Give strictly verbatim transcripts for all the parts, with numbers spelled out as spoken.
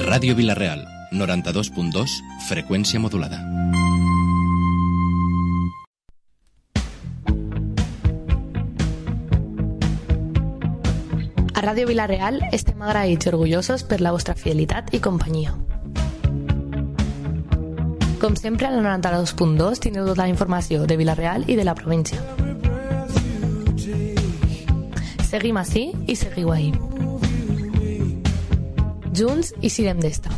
Ràdio Vila-real, noranta-dos punt dos, freqüència modulada. A Ràdio Vila-real estem agraïts i orgullosos per la vostra fidelitat i companyia. Com sempre, al noranta-dos punt dos teniu tota la informació de Vila-real i de la província. Seguim ací i seguiu ahí. Junts i sirem d'esta.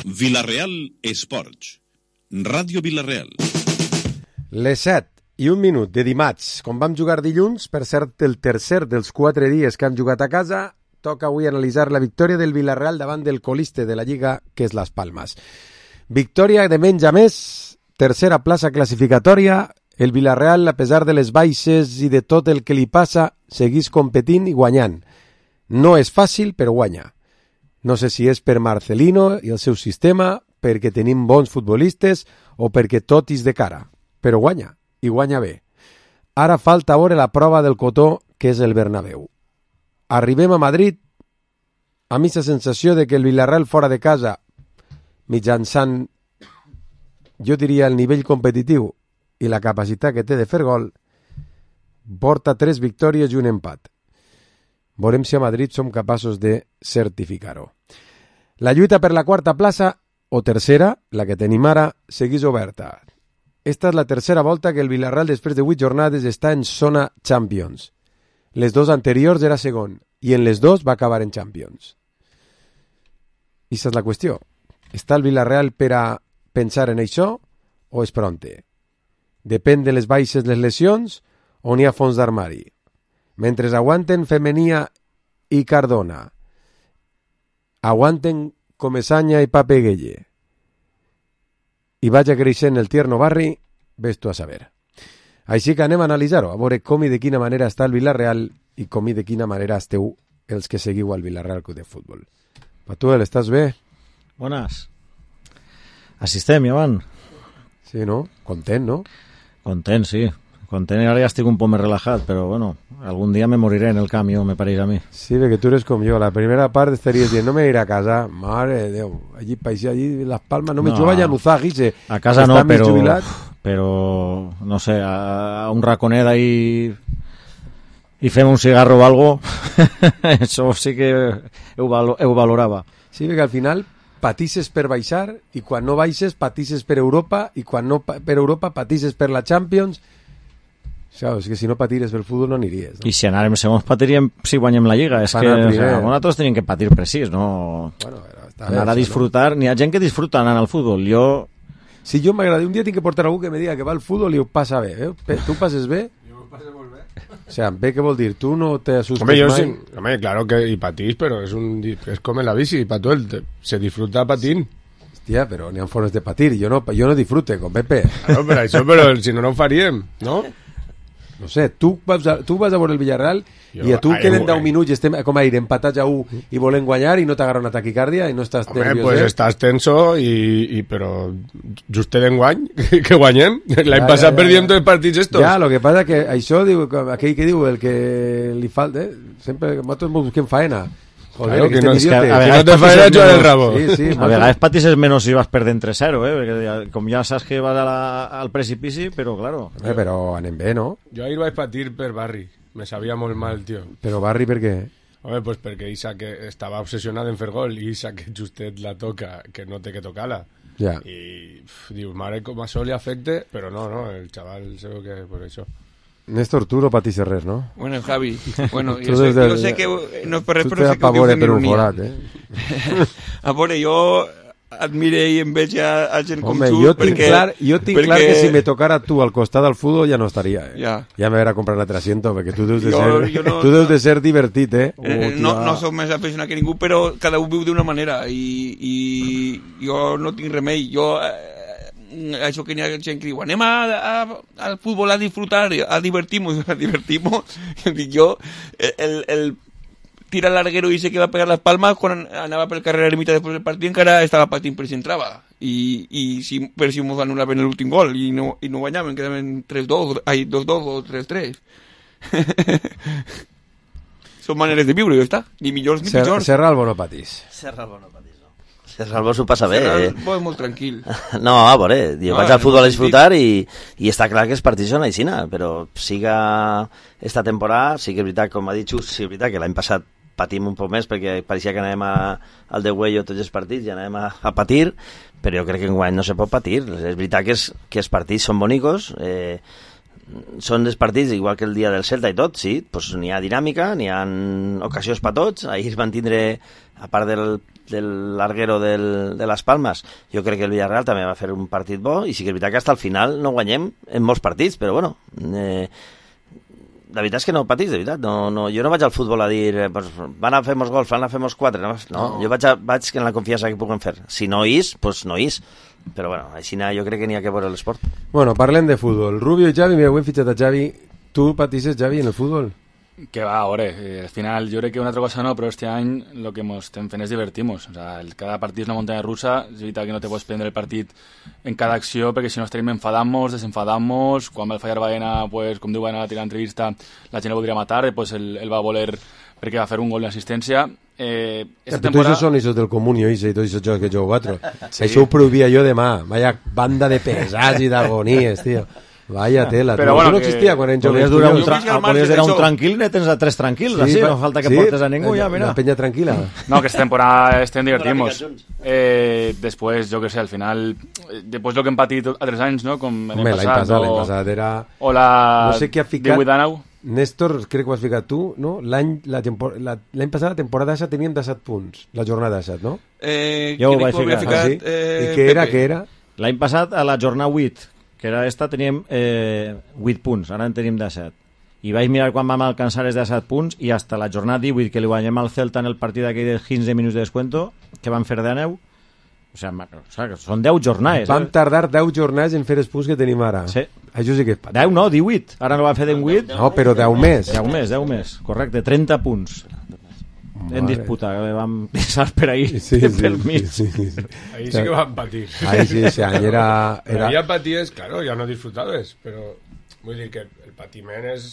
Vila-real Esports. Ràdio Vila-real. Les set i un minut de dimarts, com vam jugar dilluns, per cert el tercer dels quatre dies que han jugat a casa, toca avui analitzar la victòria del Vila-real davant del coliste de la Lliga, que és Las Palmas. Victòria de menys a més, tercera plaça classificatòria, el Vila-real, a pesar de les baixes i de tot el que li passa, seguís competint i guanyant. No és fàcil, però guanya. No sé si és per Marcelino i el seu sistema, perquè tenim bons futbolistes o perquè tot és de cara, però guanya. I guanya bé. Ara falta veure la prova del cotó, que és el Bernabéu. Arribem a Madrid amb aquesta sensació de que el Villarreal fora de casa, mitjançant, jo diria, el nivell competitiu i la capacitat que té de fer gol, porta tres victòries i un empat. Veurem si a Madrid som capaços de certificar-ho. La lluita per la quarta plaça, o tercera, la que tenim ara, segueix oberta. Esta és la tercera volta que el Villarreal, després de vuit jornades, està en zona Champions. Les dos anteriors era segon, i en les dos va acabar en Champions. I aquesta és la qüestió. Està el Villarreal per a pensar en això o és pronte? Depèn de les baixes, les lesions, o n'hi ha fons d'armari? Mentre aguanten Femenia i Cardona, aguanten Comesaña i Pape Gueye, i vaig creixent el tierno barri, ves tu a saber. Així que anem a analitzar-ho, a veure com i de quina manera està el Villarreal i com i de quina manera esteu els que seguiu al Villarreal Club de Futbol. Patuel, estàs bé? Bones. Així estem, Joan. Sí, no? Content, no? Content, sí. Content, ara ja estic un poc més relaxat, però bueno, algun dia me moriré en el camí, me pareix a mi. Sí, perquè tu eres com jo. La primera part estaries dient, no me iré a casa. Mare de Déu, allí, país, allí, Las Palmas, no me no, vaig a Nuzá, Guise. A casa no, però, però, no sé, a, a un raconet ahí i fem un cigarro o algo, això sí que ho, valo, ho valorava. Sí, perquè al final patisses per baixar i quan no baixes patisses per Europa i quan no per Europa patisses per la Champions. Claro, és que si no patires pel futbol no aniries, no? I si anàrem segons patiríem si guanyem la Lliga. És que o sea, nosaltres tenim que patir precís, no? Bueno, anar bé, a disfrutar. No? N'hi ha gent que disfruta anant al futbol. Jo... Si jo m'agrada, un dia tinc que portar algú que me diga que va al futbol i ho passa bé. Eh? Tu passes bé? Jo ho passo molt bé. O sea, bé què vol dir? Tu no te asustes hombre, yo mai? Sí, hombre, claro que y patís, pero es un es como en la bici, para todo el se disfruta patín. Hòstia, però n'hi ha formes de patir. Jo no, jo no disfrute, con Pepe. Claro, pero això, però si no, no ho faríem, no? No sé, tu vas a, tu vas a veure el Villarreal jo, i a tu ai, queden deu minuts i estem com a ir empatats a u i volen guanyar i no t'agarra una taquicàrdia i no estàs Home, nerviós. Pues eh? Estàs tenso i, i però justet d'enguany que guanyem. L'any ja, passat ja, ja, perdíem ja. Dos partits estos. Ja, lo que passa que això, diu, aquell que diu, el que li falta, eh? Sempre nosaltres busquem faena. Joder, claro, que no, que que a, a no te faena jugar el rabo. Sí, sí, a vegades patisses menos si vas perdent tres cero, eh? Perquè com ja saps que vas a la, al precipici, però claro. Eh, però anem bé, no? Jo ahir vaig patir per Barri. Me sabia molt mal, tio. Però Barri per què? Home, pues perquè Isa que estava obsessionat en fer gol i Isa que justet la toca, que no té que tocar-la. Ja. I uf, dius, mare, com això li afecte, però no, no, el xaval segur que per això. Néstor, tu no patís res, no? Bueno, Javi, bueno, jo sé, jo sé que no és per res, però sé que ho dius en ironia. Eh? A veure, jo admire i enveja a gent com Home, tu. Jo tinc, perquè, clar, jo tinc perquè... clar que si me tocara tu al costat del futbol ja no estaria. Eh? Ja. Ja me verà comprar l'altre asiento, perquè tu deus de, jo, ser, jo no, tu deus de ser divertit, eh? Oh, eh no, no soc més aficionat que ningú, però cada un viu d'una manera i, i jo no tinc remei. Jo... Eh, això que n'hi ha gent que diu anem a, a, al futbol a disfrutar, a divertir-nos, a divertir-nos. Jo, el, el tira larguero i sé que va a pegar Las Palmas quan anava pel carrer a la mitad després del partit encara estava patint per si entrava i, i si, per si mos anul·laven l'últim gol i no, i no guanyaven, quedaven tres dos, ai, dos dos o tres tres. Són maneres de viure, ja està, ni millors ni pitjors. Serralbo no patís. Serralbo no patís, no. Serralbo s'ho passa bé. Serralbo és molt tranquil. No, a veure, jo no, vaig al futbol a disfrutar i, i està clar que els partits són aixina, però siga esta temporada, sí que és veritat, com ha dit Xus, sí que és veritat que l'any passat patim un poc més perquè pareixia que anàvem a, al de Güello tots els partits i anàvem a, a patir, però jo crec que enguany no se pot patir. És veritat que, és, que els partits són bonicos, eh, són els partits igual que el dia del Celta i tot, sí, pues n'hi ha dinàmica, n'hi ha ocasions per tots. Ahir van tindre, a part del, del larguero del, de les Palmes, jo crec que el Villarreal també va fer un partit bo, i sí que és veritat que fins al final no guanyem en molts partits, però bueno, eh, la veritat és que no patís, de veritat. No, no, jo no vaig al futbol a dir eh, pues, van a fer molts gols, van a fer molts quatre. No, no, no. Jo vaig, a, vaig en la confiança que puguem fer. Si no is, pues no is. Però bueno, així jo crec que n'hi ha que veure l'esport. Bueno, parlem de futbol. Rubio i Xavi, mira, ho hem fitxat a Xavi. Tu patisses, Xavi, en el futbol? Que va, ahora, eh, al final yo creo que una otra cosa no, pero este año lo que hemos estem fent es divertimos. O sea, el, cada partit és una muntanya russa, és veritat que no te pots prendre el partit en cada acció, perquè si no estarem enfadamos, desenfadamos, quan va fallar Baena, pues, com diu Baena a la entrevista, la gent el voldria matar, pues el, el va voler perquè va fer un gol d'assistència. Eh, esta temporada... Tots són esos del Comunio i tots esos jocs que jo quatre. Sí. Això ho prohibia jo demà. Vaya banda de pesats i d'agonies, tio. Vaya tela, però bueno, no existia quan en podies durar un, tra podies durar un tranquil i tens a tres tranquils, sí, així, no falta que sí, portes a ningú, ja, mira. La penya tranquil·la. No, que esta temporada estem divertimos. Eh, después, yo que sé, al final, después lo que hem patit a tres anys, no? Com l'any passat, l'any passat era... O la... No sé què ha ficat... Néstor, crec que ho has ficat tu, no? L'any passat, la temporada esa teníem disset punts, la jornada disset, no? Eh, jo ho vaig ficar. ficat, ah, sí? eh, I què era, què era? L'any passat, a la jornada vuit, que era esta, teníem eh, vuit punts, ara en tenim disset. I vaig mirar quan vam alcançar els disset punts i hasta la jornada divuit, que li guanyem al Celta en el partit d'aquell de quinze minuts de descuento, que van fer de neu, o sigui, o sigui, són deu jornades. Vam eh? tardar deu jornades en fer els punts que tenim ara. Sí. Això sí que és patit. deu no, divuit. Ara no va fer en vuit. No, però deu més. deu més, deu més, correcte, trenta punts. En disputa, que vam pensar per ahí, sí, sí, pel mig. Sí, sí, sí. Ahí sí que van patir. Ahí sí, ese año era... era... Ya patíes, claro, ya no disfrutaves, pero vull dir que el patiment és,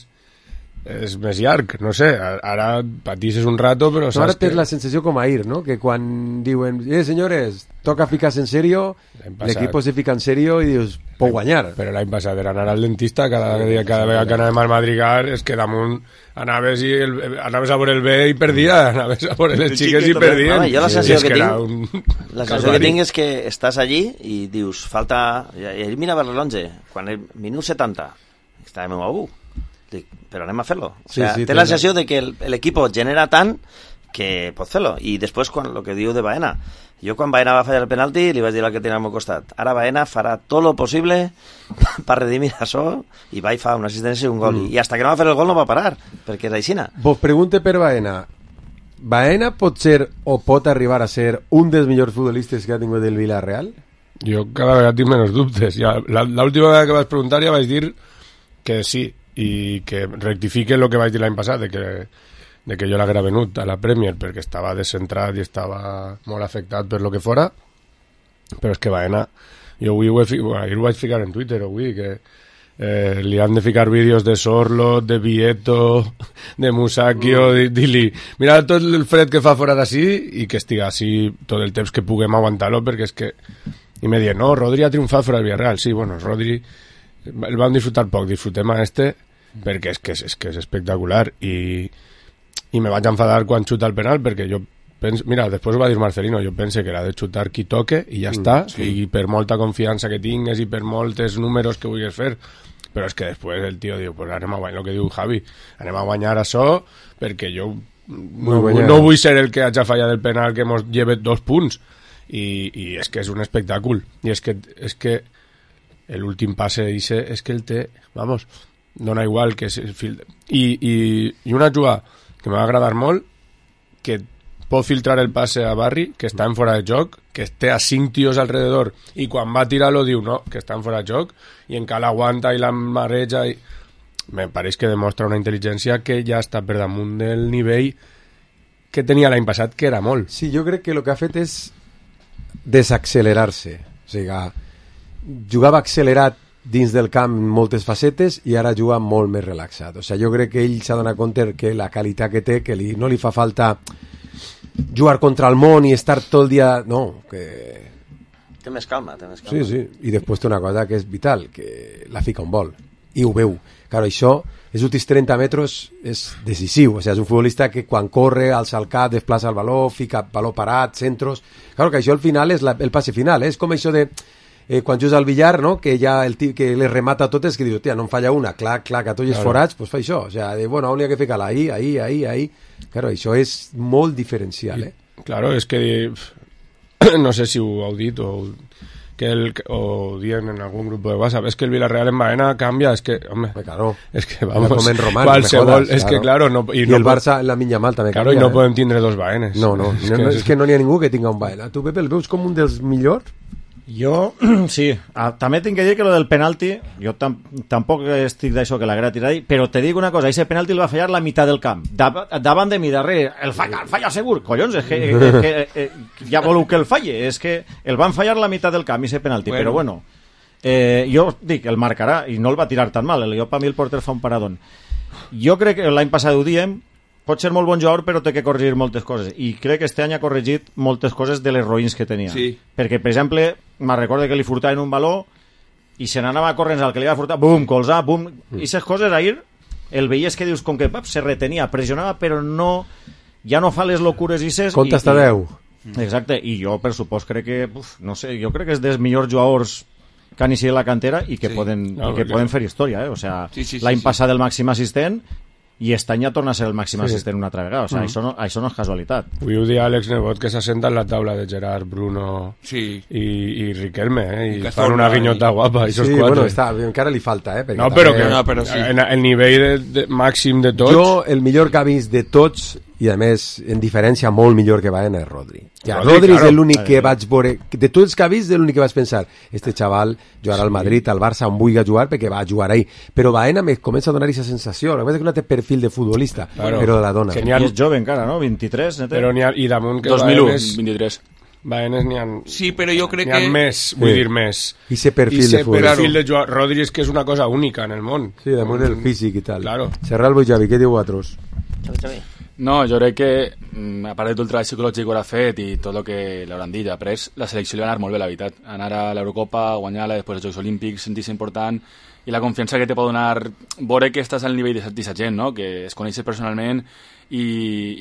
és més llarg, no sé, ara patisses un rato, però no, ara saps tens que... la sensació com ahir, no? Que quan diuen, eh, senyores, toca ficar-se en serio, l'equip se fica en serio i dius, puc guanyar. Però l'any passat era anar al dentista, cada, dia, cada vegada que anàvem al Madrigal, és que damunt anaves, i el, anaves a veure el bé i perdia, anaves a veure les xiques i perdien. Home, jo la sensació sí, que, que tinc un... la sensació que tinc és que estàs allí i dius, falta... I ell mirava el rellotge, quan el minut setanta, estàvem a u, dic, però anem a fer-lo. O sea, sí, sí, té la sensació de que l'equip genera tant que pot fer-lo. I després, quan el que diu de Baena, jo quan Baena va fallar el penalti li vaig dir al que tenia al meu costat, ara Baena farà tot lo possible per redimir això, i va i fa una assistència i un gol, mm. i hasta que no va fer el gol no va parar, perquè és aixina. Vos pregunte per Baena, Baena pot ser o pot arribar a ser un dels millors futbolistes que ha tingut el Villarreal? Jo cada vegada tinc menys dubtes. Ja, l'última vegada que vas preguntar ja vaig dir que sí, i que rectifique el que vaig dir l'any passat, de que de que jo l'haguera venut a la Premier perquè estava descentrat i estava molt afectat per lo que fora, però és que Baena, jo avui ho, he, ahir ho vaig ficar en Twitter avui, que eh, li han de ficar vídeos de Sorlot, de Vieto, de Musacchio, mm. dir-li, mira tot el fred que fa fora d'ací i que estiga així tot el temps que puguem aguantar-lo, perquè és que... I me diuen, no, Rodri ha triomfat fora del Villarreal. Sí, bueno, Rodri el vam disfrutar poc, disfrutem a este perquè és que és, és, que és espectacular, i i me vaig enfadar quan xuta el penal perquè jo penso, mira, després ho va dir Marcelino, jo pense que l'ha de xutar qui toque i ja mm, està, sí. I per molta confiança que tingues i per moltes números que vulguis fer, però és que després el tio diu, pues anem a guanyar, el que diu Javi, anem a guanyar això perquè jo no, no, no vull ser el que hagi fallat el penal que mos lleve dos punts, i, i és que és un espectacle, i és que, és que l'últim passe dice, és que el té, vamos, dona igual que és fil... I, i, i una jugada que m'ha agradat molt, que pot filtrar el passe a Barri, que està en fora de joc, que té a cinc tios alrededor, i quan va tirar-lo diu no, que està en fora de joc, i encara aguanta i la mareja, i... me pareix que demostra una intel·ligència que ja està per damunt del nivell que tenia l'any passat, que era molt. Sí, jo crec que el que ha fet és desaccelerar-se. O sigui, jugava accelerat dins del camp en moltes facetes i ara juga molt més relaxat. O sigui, jo crec que ell s'ha donat compte que la qualitat que té, que li, no li fa falta jugar contra el món i estar tot el dia... No, que... Té més calma, té més calma. Sí, sí, i després té una cosa que és vital, que la fica un vol, i ho veu. Claro, això, els últims trenta metres és decisiu, o sigui, és un futbolista que quan corre, alça el cap, desplaça el baló, fica baló parat, centros... Claro que això al final és la, el passe final, eh? És com això de... Eh, quan jugues al billar, no? Que ja el tip que les remata totes, que diu, tia, no em falla una, clac, clac, a tots els claro. Forats, pues fa això, o sea, de, bueno, on hi ha que ficar-la, ahí, ahí, ahí, ahí. Claro, això és molt diferencial, eh? Claro, és que no sé si ho heu dit o, que el, o dient en algun grup de WhatsApp, és que el Villarreal en Baena canvia, és que, home, claro, és que vamos, com en Román, qualsevol, és claro. que claro, no, i, i, I no el Barça en la Minya Mal també claro, canvia, i no eh? podem tindre dos Baenes. No, no, és, no, no, és que no n'hi ha ningú que tinga un Baena. Tu, Pepe, el veus com un dels millors? Jo, sí, ah, també tinc que dir que lo del penalti, jo tam tampoc estic d'això que l'haguera tirat, però te dic una cosa, ese penalti el va fallar la meitat del camp, Dav davant de mi, darrere, el falla, el falla segur, collons, és que, és que eh, ja voleu que el falle, és que el van fallar la meitat del camp, ese penalti, bueno. Però bueno, eh, jo dic, el marcarà, i no el va tirar tan mal, el, jo per mi el porter fa un paradón. Jo crec que l'any passat ho diem, pot ser molt bon jugador però té que corregir moltes coses i crec que este any ha corregit moltes coses de les roïns que tenia, sí. Perquè per exemple me'n recordo que li furtaven un baló i se n'anava corrents al que li va furtar, bum, colzar, bum, mm. i aquestes coses ahir el veies que dius com que pap, se retenia, pressionava però no, ja no fa les locures isses compte hasta deu. Exacte, i jo per supost crec que uf, no sé, jo crec que és dels millors jugadors que han iniciat la cantera i que, sí. poden, no, i que poden fer història, eh? O sea, sí, sí, l'any sí, passat sí. El màxim assistent i aquest any ja torna a ser el màxim sí. Assistent una altra vegada, o sigui, mm. això, no, això no és casualitat. Avui ho dia Àlex Nebot que s'assenta en la taula de Gerard, Bruno sí. i, i Riquelme, eh? I, I fan una guinyota i... guapa. Sí, bueno, està, encara li falta, eh? No, però, també... que, no, però sí. En el nivell de, de, màxim de tots... Jo, el millor que ha vist de tots, i a més, en diferència molt millor que Baena, és Rodri. Ja, Rodri, Rodri claro. És l'únic que vaig veure... De tots els que ha vist, és l'únic que vaig pensar este xaval jugarà sí. Al Madrid, al Barça, on vulgui jugar, perquè va jugar ahí. Però Baena me comença a donar aquesta sensació. La veritat és que no té perfil de futbolista, claro. Però la dona. Ha... I és jove encara, no? vint-i-tres, no té? Però n'hi ha... I damunt que dos mil u, Baenes... vint-i-tres. Baenes n'hi ha... Sí, però jo crec que... N'hi ha més, vull sí. dir, més. I ese perfil I de futbolista. perfil de jugar... Rodri és que és una cosa única en el món. Sí, damunt el físic i tal. Claro. Serralbo i Javi, què diu vosaltres? Xavi, Xavi. No, jo crec que, a part de tot el treball psicològic que haurà fet i tot el que l'hauran dit après, la selecció li va anar molt bé, la veritat. Anar a l'Eurocopa, guanyar-la, després dels Jocs Olímpics, sentir-se important, i la confiança que te pot donar veure que estàs al nivell d'aquesta gent, no? Que es coneixes personalment i,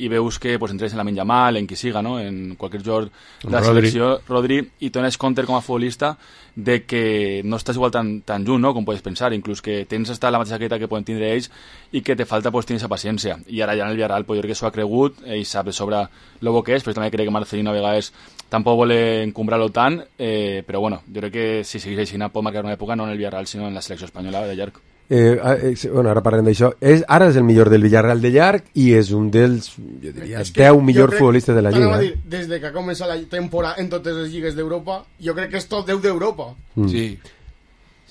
i veus que pues, entres en la Lamine Yamal, en qui siga, no? En qualsevol jugador de la Rodri. selecció, Rodri, i dones compte com a futbolista de que no estàs igual tan, tan junt, no? Com podes pensar, inclús que tens estar la mateixa queta que poden tindre ells i que te falta pues, tenir aquesta paciència. I ara ja en el Villarreal, pues, jo crec que s'ho ha cregut, ell sap de sobre el bo que és, però també crec que Marcelino a vegades tampoc vol encumbrar-lo tant, eh, però bueno, jo crec que si segueix així pot marcar una època no en el Villarreal sinó en la selecció espanyola de llarg. Eh, eh, bueno, ara parlem d'això. És, ara és el millor del Villarreal de llarg i és un dels, jo diria, deu millors futbolistes de la Lliga. Dir, des de que ha començat la temporada en totes les lligues d'Europa, jo crec que és top deu d'Europa. Mm. Sí.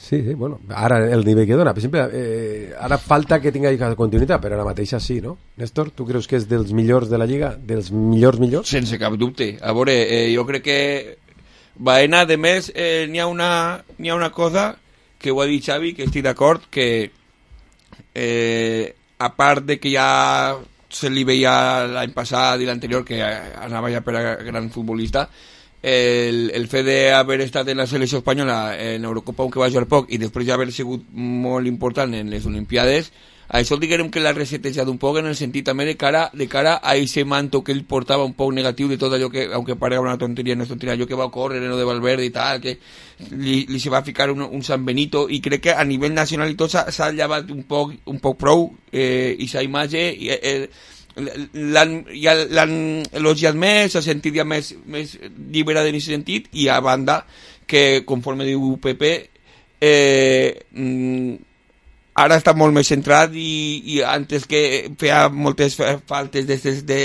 Sí, sí, bueno, ara el nivell que dona, per exemple, eh, ara falta que tinga continuïtat, però ara mateixa sí, no? Néstor, tu creus que és dels millors de la Lliga? Dels millors millors? Sense cap dubte. A veure, eh, jo crec que Baena, de més, eh, n'hi ha una, n'hi ha una cosa que ho ha dit Xavi, que estic d'acord, que eh, a part de que ja se li veia l'any passat i l'anterior que anava ja per a gran futbolista, el, el fet d'haver estat en la selecció espanyola en Eurocopa, on que va jugar poc, i després ja haver sigut molt important en les Olimpiades, això diguem que l'ha resetejat un poc en el sentit també de cara, de cara a ese manto que ell portava un poc negatiu de tot allò que, aunque parega una tonteria, no és tonteria, allò que va córrer en lo de Valverde i tal, que li, li se va ficar un, un San Benito, i crec que a nivell nacional i tot s'ha llevat un poc, un poc prou eh, i sa imatge i, eh, l'han, ja l'han elogiat més, s'ha sentit ja més, més lliberada en aquest sentit, i a banda que conforme diu Pepe eh, ara està molt més centrat i, i antes que feia moltes faltes de, de,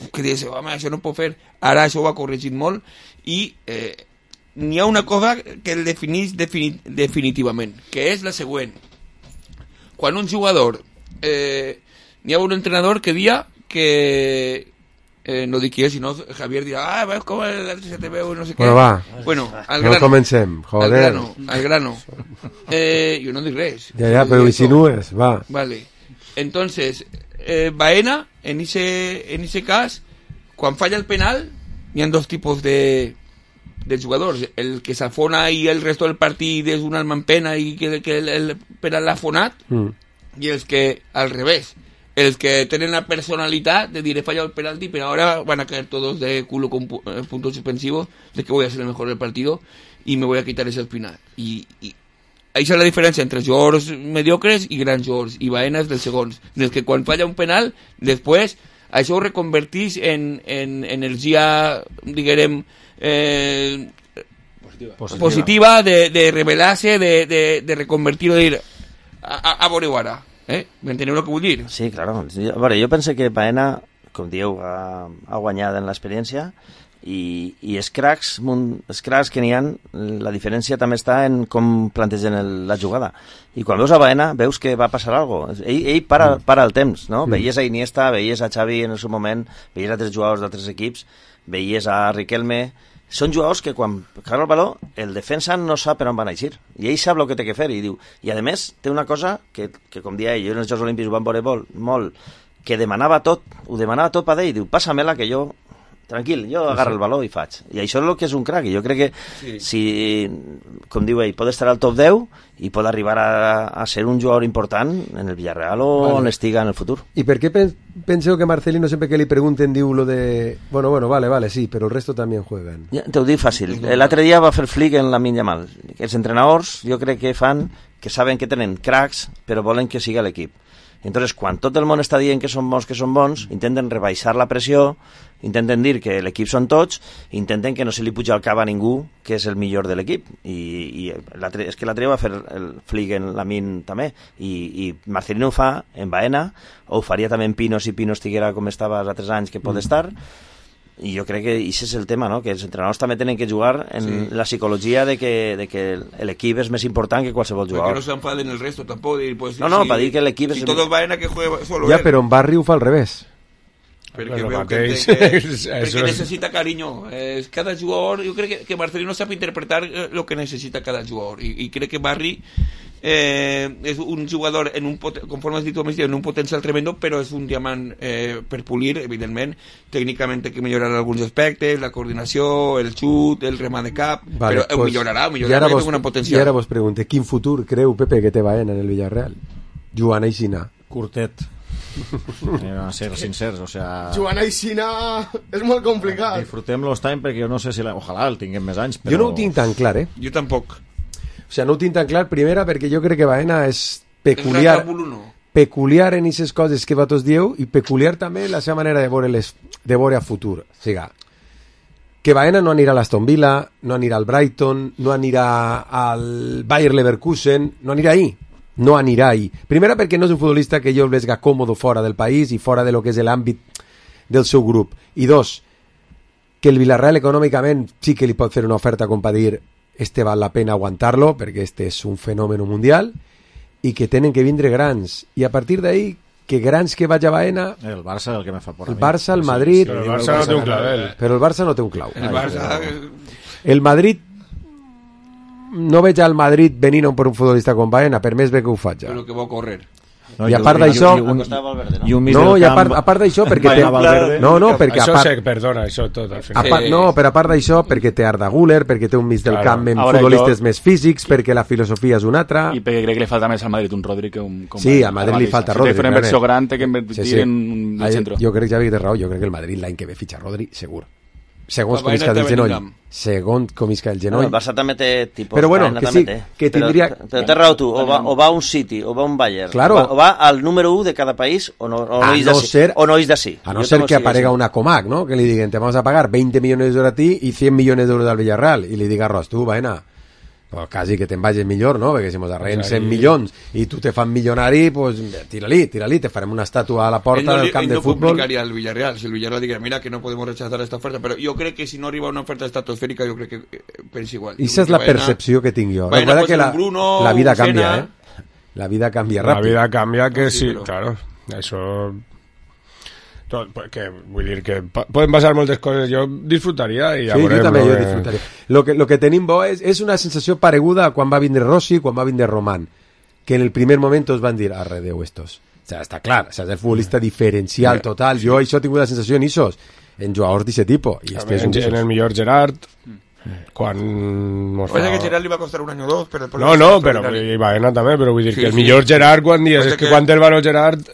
que dius, home, això no pot fer, ara això ho ha corregit molt i eh, n'hi ha una cosa que el definís defini, definitivament, que és la següent. Quan un jugador eh, n'hi ha un entrenador que dia que eh, no dic qui és, si no Javier dirà, ah, veus com l'altre se te veu, no sé què. Bueno, va. Bueno, al no grano. comencem, joder. Al grano, al grano. Eh, jo no dic res. Ja, ja, però insinues, va. Vale. Entonces, eh, Baena, en ese, en ese cas, quan falla el penal, hi ha dos tipus de, de jugadors. El que s'afona i el resto del partit és un alma en pena i que, que el, el penal l'ha afonat, mm. i els que, al revés, els que tenen la personalitat de dir he fallado el penalti, pero ahora van a caer todos de culo con pu puntos suspensivos, de que voy a ser el mejor del partido y me voy a quitar ese espinal. Y, y ahí está la diferència entre jugadors mediocres i grans jugadors, i Baena és dels segons, dels que quan falla un penal, després això ho reconvertís en, en energia, diguem, eh, positiva, positiva de, de revelar-se, de, de, de reconvertir-ho, de dir, a, a, a veure-ho ara. Eh? M'enteneu el que vull dir? Sí, claro. A veure, jo penso que Baena, com dieu, ha, ha guanyat en l'experiència i, i els cracs, els cracs que n'hi ha, la diferència també està en com plantegen el, la jugada. I quan veus a Baena, veus que va passar alguna cosa. Ell, ell para, para el temps, no? Mm. Veies a Iniesta, veies a Xavi en el seu moment, veies a altres jugadors d'altres equips, veies a Riquelme. Són jugadors que quan caga el baló el defensa no sap per on van a eixir i ell sap el que té que fer i diu, i a més té una cosa que, que com dia ell, jo en els Jocs Olímpics ho van veure molt, molt, que demanava tot, ho demanava tot per ell, diu, passa-me-la que jo tranquil, jo agarro el baló i faig, i això és el que és un crack, i jo crec que sí. Si, com diu ell, pot estar al top deu i pot arribar a, a ser un jugador important en el Villarreal o vale. On estiga en el futur. ¿Y por qué penseu que Marcelino siempre que le pregunten diu lo de, bueno, bueno, vale, vale, sí, pero el resto también juegan? Ja, te ho dic fàcil, l'altre dia va fer flic en Lamine Yamal, els entrenadors jo crec que fan, que saben que tenen cracks però volen que siga l'equip. Entonces, quan tot el món està dient que són bons, que són bons, intenten rebaixar la pressió, intenten dir que l'equip són tots, intenten que no se li puja al cap a ningú que és el millor de l'equip. I, i és que l'altre va fer el flic en Lamine també, i, i Marcelino ho fa en Baena, o ho faria també en Pino si Pino estiguera com estava els altres anys que pot mm. estar, i jo crec que això és el tema, no? Que els entrenadors també tenen que jugar en sí. La psicologia de que, de que l'equip és més important que qualsevol jugador. Perquè no s'enfaden el resto tampoc. Dir, pues, no, no, si, per dir que l'equip si és... Si tot el Baena que juega solo ja, però en Barri ho fa al revés. Perquè veu que, que, perquè necessita carinyo. Eh, cada jugador, jo crec que, que Marcelino sap interpretar el que necessita cada jugador. I, i crec que Barri eh, és un jugador, en un conforme has dit, en un potencial tremendo, però és un diamant eh, per polir, evidentment. Tècnicament té que millorar alguns aspectes, la coordinació, el xut, el remat de cap, vale, però pues, millorarà, millorarà, és una potencial. I ara vos pregunte, quin futur creu, Pepe, que té Baena en el Villarreal? Joan Aixina. Curtet. A ser sincers, o sea... Joan Aixina és molt complicat. Disfrutem los time perquè jo no sé si la... ojalà el tinguem més anys, però... Jo no ho tinc tan clar, eh? Jo tampoc. O sea, no ho tinc tan clar, primera, perquè jo crec que Baena és peculiar, peculiar en aquestes coses que vosaltres dieu i peculiar també la seva manera de veure, les, de veure a futur. O sigui, que Baena no anirà a l'Aston Villa, no anirà al Brighton, no anirà al Bayer Leverkusen, no anirà ahí. No anirà ahí. Primera, perquè no és un futbolista que jo el veig còmodo fora del país i fora de lo que és l'àmbit del seu grup. I dos, que el Villarreal econòmicament sí que li pot fer una oferta com per dir este val la pena aguantar-lo perquè este és un fenòmeno mundial i que tenen que vindre grans. I a partir d'ahí, que grans que vaig a Baena... El Barça és el que me fa por a mi. El Barça, el Madrid... Sí, sí, però el Barça no té un clavel. Però el Barça no té un clau. El Barça... El Madrid... No veig al Madrid venint per un futbolista com Baena, per més bé que ho faig. Però que va córrer. No, I a part d'això... I un mig no, del i a camp... part, a part d'això, perquè té... No, no, perquè això a part... Això perdona, això tot, al final. Part, no, però a part d'això, perquè té Arda Güler, perquè té un mig del claro. camp amb Ahora futbolistes jo... més físics, perquè la filosofia és una altra... I perquè crec que li falta més al Madrid un Rodri que un... Com sí, al Madrid li falta Rodri. Si té una inversió gran, té que invertir sí, sí. en un centre. Jo crec, Javi, que té raó, jo crec que el Madrid l'any que ve fitxa Rodri, segur. Segons com isca del genoll. Segons com isca del genoll. No, el Barça també té tipus. Però bueno, que sí, que tindria... Però, però té raó tu, o va, o va a un City, o va a un Bayern, claro. o, va, o va al número u de cada país, o no, o no, a és, no d'ací, ser, o no és d'ací. A no jo ser que aparega una Comac, ¿no? Que li diguen, te vamos a pagar veinte millones de euros a ti y cien millones de euros al Villarreal. I li diga, Ros, tu, Baena, pues quasi que te'n vagis millor, no? Perquè si mos arreguen cent milions i tu te fan milionari, pues tira-li, tira-li, te farem una estàtua a la porta no, del camp de no fútbol. No complicaria el Villarreal, si el Villarreal diga, mira que no podemos rechazar esta oferta, però jo crec que si no arriba una oferta estratosfèrica, jo crec que eh, pensa igual. I esa és la percepció que tinc jo. Baena, que la, Bruno, la vida canvia, Sena. eh? La vida canvia ràpid. La vida canvia que sí, sí, però... claro. Eso... Tot, que, vull dir que pa, poden passar moltes coses, jo disfrutaria i ja sí, veurem, jo també no, jo que... disfrutaria. Lo que, lo que tenim bo és, és una sensació pareguda a quan va vindre Rossi, quan va vindre Román, que en el primer moment tots van dir, arre, Déu, estos. O sea, està clar, o sea, és el futbolista diferencial total. Jo això he tingut la sensació en Isos, en jugadors d'aquest tipus. I este en, és un en el millor Gerard, quan... O sea, que Gerard li va costar un any o dos, però... No, no, però i Baena també, però vull dir sí, que el sí. millor Gerard, quan dius, Pues és que, que quan el valor Gerard,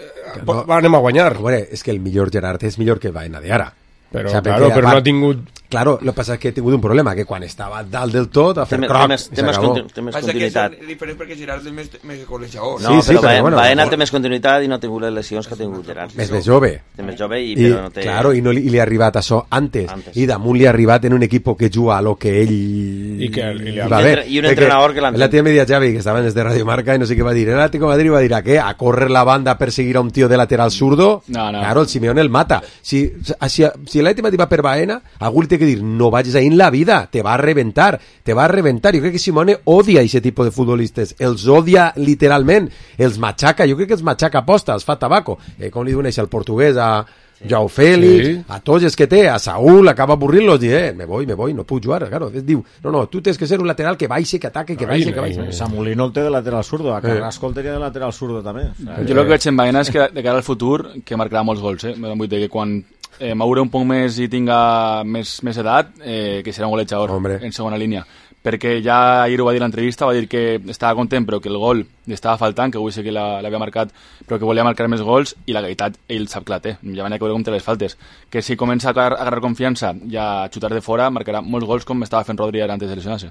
no, anem a guanyar. Veure, és que el millor Gerard és millor que el Baena de ara. Però, o sea, claro, però part, no ha tingut... Claro, lo que passa és que he tingut un problema, que quan estava dalt del tot, a fer Té, croc, té més, té més, continu, té més continuïtat. És diferent perquè Gerard és més, més golejador. No, sí, sí, però, però Baena, bueno, Baena por... té més continuïtat i no ha tingut les lesions que ha tingut Gerard. És més jove. Té més jove i, I, però no té... claro, i, no li, i li ha arribat això antes. Antes. I damunt li ha arribat en un equip que juga a lo que ell... I, que, i, li ha... va bé. I un entrenador que l'entén. La tía media Xavi, que estava des de Radio Marca i no sé què va dir. El Atlético de Madrid va dir a què? A córrer la banda a perseguir a un tío de lateral zurdo? No, no. Claro, el Simeone el mata. Si, si, si l'Atlético de Madrid va per Baena, algú li té que dir, no vagis ahí en la vida, te va a reventar, te va a reventar. Jo crec que Simeone odia aquest tipus de futbolistes, els odia literalment, els matxaca, jo crec que els matxaca aposta, els fa tabaco, eh, com li diuen això al portuguès, a Joao Félix, sí. A tots els que té, a Saúl, acaba avorrint-los, i eh, me voy, me voy, no puc jugar, claro, diu, no, no, tu tens que ser un lateral que baixe, que ataque, que baixe, que baixe. Samulino el té de lateral zurdo, a Carrasco el tenia de lateral zurdo també. O sea, jo el que veig en Baena és que de cara al futur que marcarà molts gols, eh? Vull dir que quan eh, maure un poc més i tinga més, més edat, eh, que serà un golejador Hombre. en segona línia. Perquè ja ahir ho va dir a l'entrevista, va dir que estava content però que el gol li estava faltant, que avui sí que l'havia marcat, però que volia marcar més gols, i la veritat ell sap que la té, ja van a veure com té les faltes, que si comença a agarrar confiança i a xutar de fora, marcarà molts gols com estava fent Rodri antes de lesionar-se.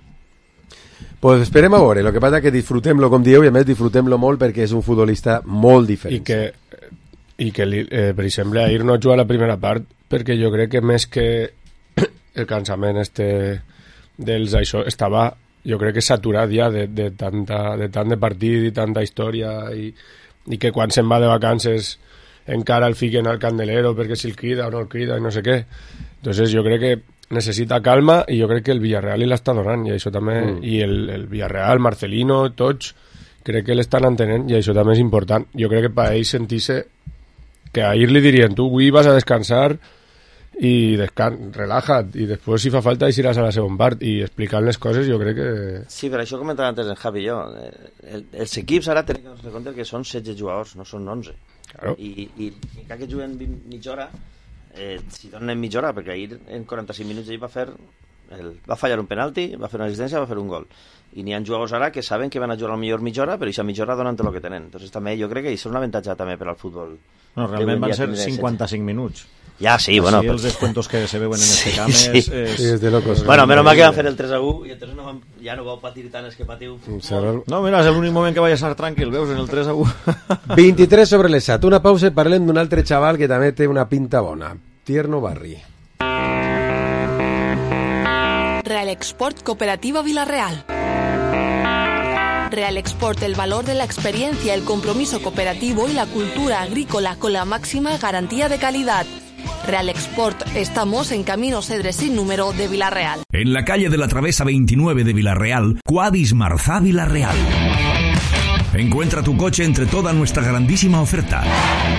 Pues esperem a veure, el que passa és que disfrutem-lo com dieu, i a més disfrutem-lo molt perquè és un futbolista molt diferent. I que, i que eh, per exemple, ahir no juga la primera part perquè jo crec que més que el cansament este dels això estava, jo crec que saturat ja de, de, tanta, de tant de partit i tanta història i, i que quan se'n va de vacances encara el fiquen al candelero perquè si el crida o no el crida i no sé què. Entonces jo crec que necessita calma i jo crec que el Villarreal li l'està donant i això també, mm. i el, el Villarreal, Marcelino, tots crec que l'estan entenent i això també és important. Jo crec que per ell sentir-se que ahir li dirien, tu avui vas a descansar i descan relaja't i després si fa falta eixiràs a la segona part i explicant les coses jo crec que... Sí, però això comentava antes en Javi i jo, el, els equips ara tenen que compte que són setze jugadors, no són onze, claro. i, i, i que juguen mitja hora, eh, si donen mitja hora, perquè ahir en quaranta-cinc minuts ell va fer el, va fallar un penalti, va fer una assistència, va fer un gol, i n'hi ha jugadors ara que saben que van a jugar a la millor mitja hora, però aquesta mitja hora donen tot el que tenen. Entonces també jo crec que això és un avantatge també per al futbol. No, realment van ser cinquanta-cinc minuts. Ja, sí, bueno. Sí, els descuentos que se veuen en sí, este camp sí. és... és... Sí, és de locos. Bueno, menys mal que van fer el tres a u i entonces no van, ja no vau patir tant els que patiu. No, mira, és l'únic moment que vaig estar tranquil, veus, en el tres a u. vint-i-tres sobre les set. Una pausa i parlem d'un altre xaval que també té una pinta bona. Tierno Barri. Real Export Cooperativa Villarreal. Real Export, el valor de la experiencia, el compromiso cooperativo y la cultura agrícola con la máxima garantía de calidad. Real Export, estamos en Camino Cedres sin número de Villarreal. En la calle de la Travesa veintinueve de Villarreal, Cuadis Marzá Villarreal. Encuentra tu coche entre toda nuestra grandísima oferta.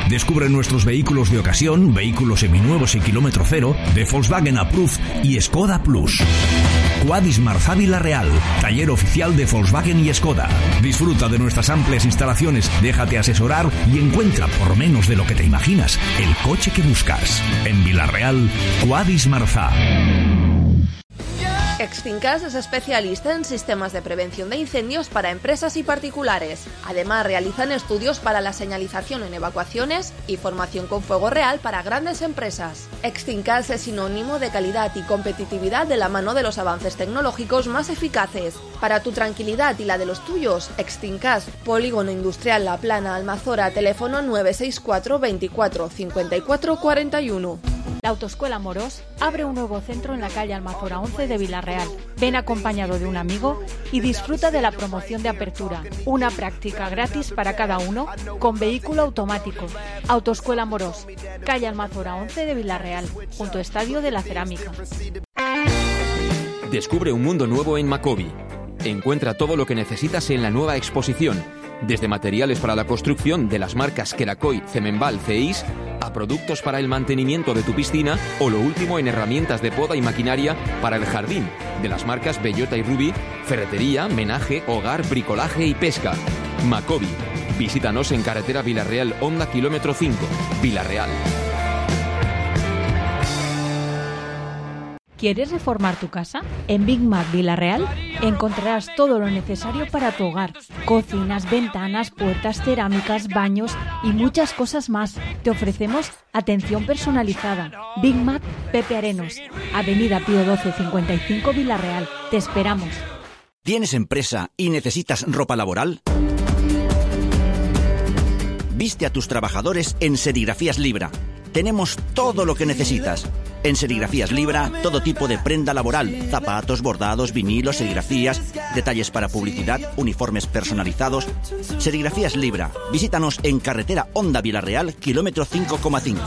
Descubre nuestros vehículos de ocasión, vehículos seminuevos y kilómetro cero, de Volkswagen Approved y Skoda Plus. Cuadis Marzá Villarreal, taller oficial de Volkswagen y Skoda. Disfruta de nuestras amplias instalaciones, déjate asesorar y encuentra por menos de lo que te imaginas el coche que buscas. En Villarreal, Cuadis Marzá. Extincas es especialista en sistemas de prevención de incendios para empresas y particulares. Además, realizan estudios para la señalización en evacuaciones y formación con fuego real para grandes empresas. Extincas es sinónimo de calidad y competitividad de la mano de los avances tecnológicos más eficaces. Para tu tranquilidad y la de los tuyos, Extincas, Polígono Industrial La Plana, Almazora, teléfono nueve seis cuatro veinticuatro cincuenta y cuatro cuarenta y uno. La Autoescuela Morós abre un nuevo centro en la calle Almazora once de Villarreal. Ven acompañado de un amigo y disfruta de la promoción de apertura. Una práctica gratis para cada uno con vehículo automático. Autoescuela Morós, calle Almazora once de Villarreal, junto a Estadio de la Cerámica. Descubre un mundo nuevo en Macobi. Encuentra todo lo que necesitas en la nueva exposición. Desde materiales para la construcción de las marcas Kerakoy, Cemenbal, Ceis, a productos para el mantenimiento de tu piscina o lo último en herramientas de poda y maquinaria para el jardín, de las marcas Bellota y Ruby, ferretería, menaje, hogar, bricolaje y pesca. Macobi. Visítanos en carretera Villarreal, Honda kilómetro cinco, Villarreal. ¿Quieres reformar tu casa? En Big Mac Villarreal encontrarás todo lo necesario para tu hogar. Cocinas, ventanas, puertas, cerámicas, baños y muchas cosas más. Te ofrecemos atención personalizada. Big Mac Pepe Arenos, Avenida Pío doce cincuenta y cinco Villarreal. Te esperamos. ¿Tienes empresa y necesitas ropa laboral? Viste a tus trabajadores en Serigrafías Libra. Tenemos todo lo que necesitas. En Serigrafías Libra, todo tipo de prenda laboral, zapatos, bordados, vinilos, serigrafías, detalles para publicidad, uniformes personalizados. Serigrafías Libra. Visítanos en carretera Honda Villarreal, kilómetro cinco coma cinco.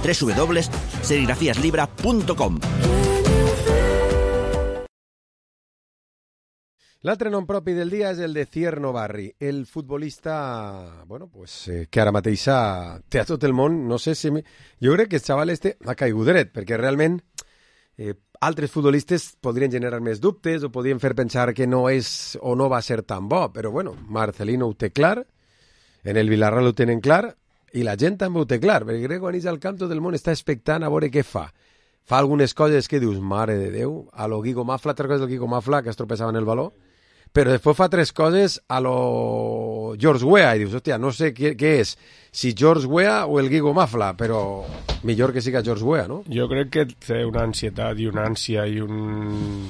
doble u doble u doble u punto serigrafías libra punto com. L'altre nom propi del dia és el de Cierno Barri, el futbolista, bueno, pues, eh, que ara mateix té a tot el món, no sé si... Mi... Jo crec que el xaval este ha caigut dret, perquè realment eh, altres futbolistes podrien generar més dubtes o podrien fer pensar que no és o no va ser tan bo, però bueno, Marcelino ho té clar, en el Villarreal ho tenen clar, i la gent també ho té clar, perquè crec que quan és al camp tot el món està expectant a veure què fa. Fa algunes coses que dius, mare de Déu, a lo Guigo Mafla, tres coses del Guigo Mafla, que es tropeçaven el baló, però després fa tres coses a lo George Weah i dius, hòstia, no sé què, què és, si George Weah o el Guigo Mafla, però millor que siga George Weah, no? Jo crec que té una ansietat i una ànsia i un,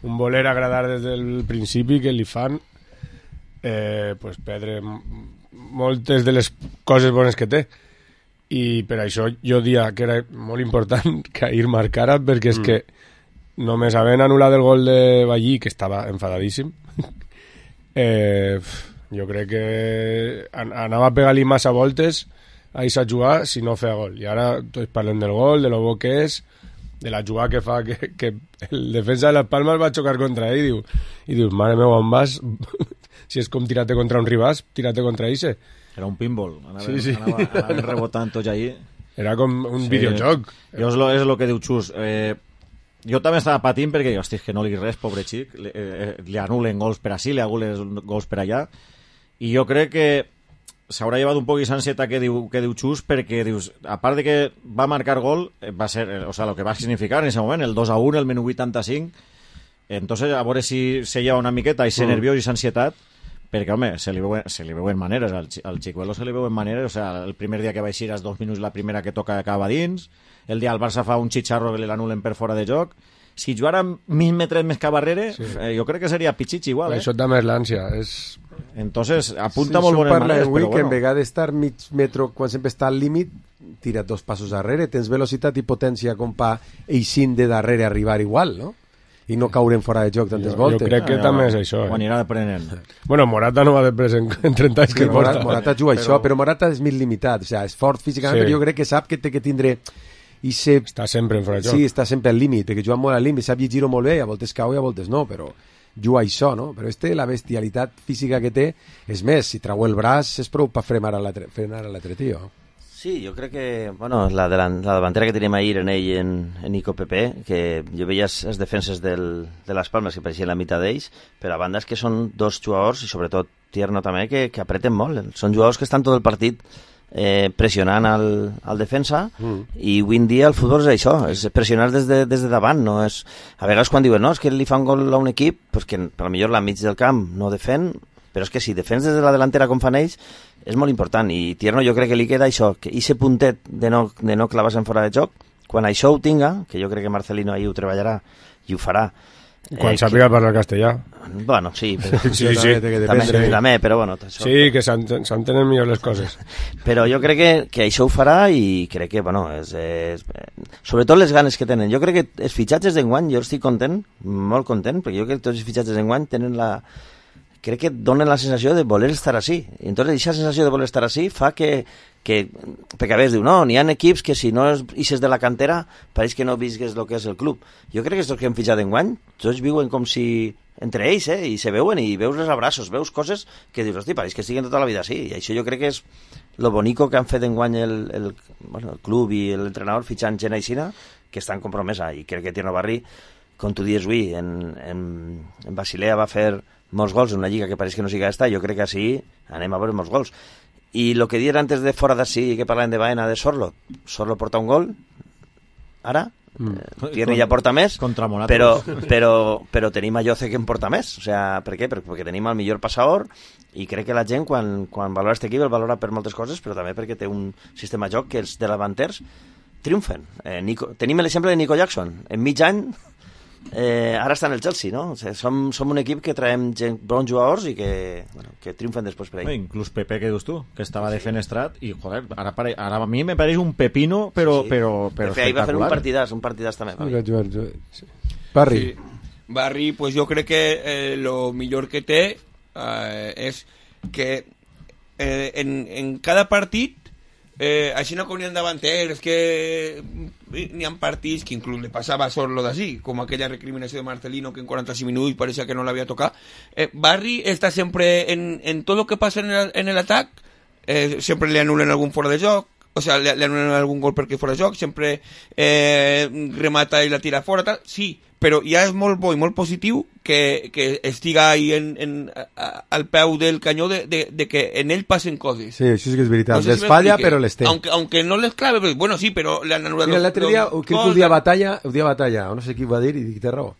un voler agradar des del principi que li fan eh, pues, perdre moltes de les coses bones que té. I per això jo dia que era molt important que ahir marcara, perquè és mm. que només havent anul·lat el gol de Ballí, que estava enfadadíssim, eh, jo crec que anava a pegar-li massa voltes a això jugar si no feia gol. I ara tots parlem del gol, de lo bo que és, de la jugada que fa, que, que el defensa de les Palmes va xocar contra ell i diu, i dius, mare meva, on vas? Si és com tirar-te contra un rivàs, tirar-te contra ell. Era un pinball, anava, sí, sí. anava, anava rebotant tots allí. Era com un sí. videojoc. Jo és, lo, és lo que diu Xus. Eh, jo també estava patint perquè, hosti, que no li res, pobre xic, li, eh, li anulen gols per ací, li anulen gols per allà, i jo crec que s'haurà llevat un poc aquesta ansietat que diu, que diu Xus, perquè dius, a part de que va marcar gol, va ser, o sea, lo que va significar en ese moment, el dos a un, el minut vuitanta-cinc, entonces a veure si se lleva una miqueta i se mm. nerviós i ansietat, perquè, home, se li veuen, se li veuen maneres, al, al Chicuelo se li veuen maneres, o sea, el primer dia que va eixir als dos minuts la primera que toca acaba dins, el dia el Barça fa un xitxarro que l'anulen per fora de joc, si jugara mil metres més que a barrere, sí. eh, jo crec que seria pitxitx igual, eh? Això també és l'ànsia, és... Entonces, apunta sí, molt bones maneres, avui, però bueno. Que en vegada d'estar mig metro, quan sempre està al límit, tira dos passos darrere, tens velocitat i potència com pa eixint de darrere arribar igual, no? I no caurem fora de joc tantes jo, voltes. Jo crec que ah, també és això. Ho eh? anirà aprenent. Bueno, Morata no va després en, en trenta anys que Morata, porta. Morata juga però... això, però Morata és mig limitat. O sigui, és fort físicament, sí. Però jo crec que sap que té que tindre... I se... Està sempre en fora de joc. Sí, està sempre al límit, que juga molt al límit, sap llegir-ho molt bé, a voltes cau i a voltes no, però juga això, no? Però este, la bestialitat física que té, és més, si trau el braç és prou per frenar a l'altre, frenar a l'altre tio. Sí, jo crec que, bueno, la, de la, la davantera que tenim ahir en ell, en, en Nico Pepe, que jo veia les defenses del, de les Palmes que pareixien la meitat d'ells, però a banda és que són dos jugadors, i sobretot Tierno també, que, que apreten molt. Són jugadors que estan tot el partit eh, pressionant al, al defensa, mm. i avui en dia el futbol és això, és pressionar des de, des de davant. No és... A vegades quan diuen, no, és que li fan gol a un equip, pues que potser la mig del camp no defen, però és que si defens des de la delantera com fan ells, és molt important, i Tierno jo crec que li queda això, que aquest puntet de no, de no clavar-se en fora de joc, quan això ho tinga, que jo crec que Marcelino ahí ho treballarà i ho farà. Quan eh, sàpiga que... parlar castellà. Bueno, sí, però... sí, sí, també, també, també, però bueno... Això... Sí, que s'entenen millor les coses. Però jo crec que, que això ho farà i crec que, bueno, és, és... sobretot les ganes que tenen. Jo crec que els fitxatges d'enguany, jo estic content, molt content, perquè jo crec que tots els fitxatges d'enguany tenen la... crec que donen la sensació de voler estar així. I entonces aquesta sensació de voler estar així fa que, que, perquè a vegades diu, no, n'hi ha equips que si no ixes de la cantera pareix que no visques el que és el club. Jo crec que els que hem fitxat enguany, tots viuen com si entre ells, eh, i se veuen i veus els abraços, veus coses que dius, hosti, pareix que estiguen tota la vida així, i això jo crec que és lo bonico que han fet enguany el, el, bueno, el club i l'entrenador fitxant gent aixina, que estan compromesa, i crec que Tierno Barri, com tu dius avui, en, en, en Basilea va fer molts gols en una lliga que pareix que no sigui esta, jo crec que així anem a veure molts gols. I el que dient antes de fora d'ací, que parlàvem de Baena, de Sorlo, Sorlo porta un gol, ara, mm. Tierney ja porta més, però, però, però tenim a Lloce que en porta més. O sea, per què? Perquè tenim el millor passador i crec que la gent, quan, quan valora aquest equip, el valora per moltes coses, però també perquè té un sistema de joc que els de davanters triomfen. Eh, Nico, tenim l'exemple de Nico Jackson. En mig any, eh, ara està en el Chelsea, no? O sigui, som, som un equip que traiem gent, bons jugadors i que, bueno, que triomfen després per ell. No, inclús Pepe, que dius tu, que estava sí. defenestrat i, joder, ara, pare, ara a mi me pareix un pepino, però, sí. però, però espectacular. Ahir va fer un partidàs, un partidàs també. Sí. Barri. Sí. Barri, pues jo crec que eh, lo millor que té eh, és que eh, en, en cada partit Eh, així no com n'hi ha davanters que n'hi ha partits que inclús le passava a Sorlo d'ací, com aquella recriminació de Marcelino que en quaranta-cinc minuts pareixia que no l'havia tocat. eh, Barri està sempre en, en tot el que passa en l'atac, eh, sempre li anulen algun fora de joc, o sea, li, li anulen algun gol perquè fora de joc, sempre eh, remata i la tira fora, tal. Sí, però ja és molt bo i molt positiu que, que estiga ahí en, en, a, al peu del canyó de, de, de que en ell passen coses. Sí, això sí que és veritat. No sé les si falla, però les té. Aunque, aunque no les clave, pues, bueno, sí, però le han anulat... Mira, l'altre dia, crec que ho dia batalla, ho dia batalla, o no sé qui va dir, i dic, té raó,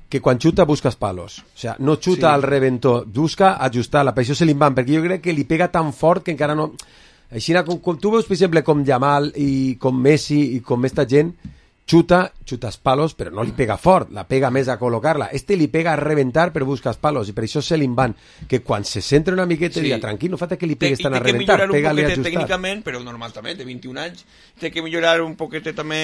que quan xuta buscas palos. O sea, no xuta sí. al reventó, busca ajustar-la, per això se li van, perquè jo crec que li pega tan fort que encara no... Així, com, com tu veus, per exemple, com Yamal i com Messi i com esta gent, xuta, xutas palos, però no li pega fort, la pega més a col·locar-la. Este li pega a reventar, però buscas palos, i per això se li van, que quan se centra una miqueta, sí. diga, tranquil, no fa que li pegues tant a reventar, pega-li a ajustar. Tècnicament, però normal també, té vint-i-un anys, té que millorar un poquet també...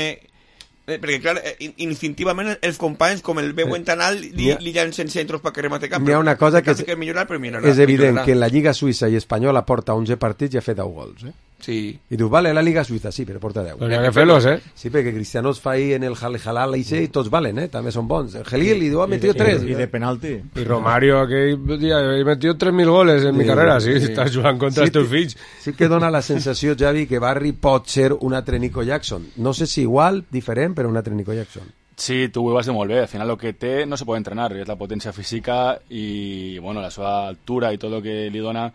Eh, perquè, clar, instintivament els companys, com el veuen tan alt, li, ha, li llancen centros per que remate camp. Hi ha una cosa que, és, que millorar, però millorarà, és evident millorarà. Que en la Lliga Suïssa i Espanyola porta onze partits i ha fet deu gols, eh? Sí. I dius, vale, la Liga Suïssa, sí, però porta deu. Però n'hi ha que fer-los, eh? Sí, perquè Cristiano es fa ahir en el Halal i i tots valen, eh? També són bons. El Gelil li diu, ha metido tres. I, i de penalti. I Romario, aquell dia, he metido tres mil goles en sí, mi carrera, sí, sí. Estàs jugant contra sí, els teus fills. Sí que dona la sensació, Javi, que Barri pot ser un altre Nico Jackson. No sé si igual, diferent, però un altre Nico Jackson. Sí, tu ho vas dir molt bé. Al final lo que té no se pot entrenar, és la potència física i bueno, la seva altura i tot el que li dona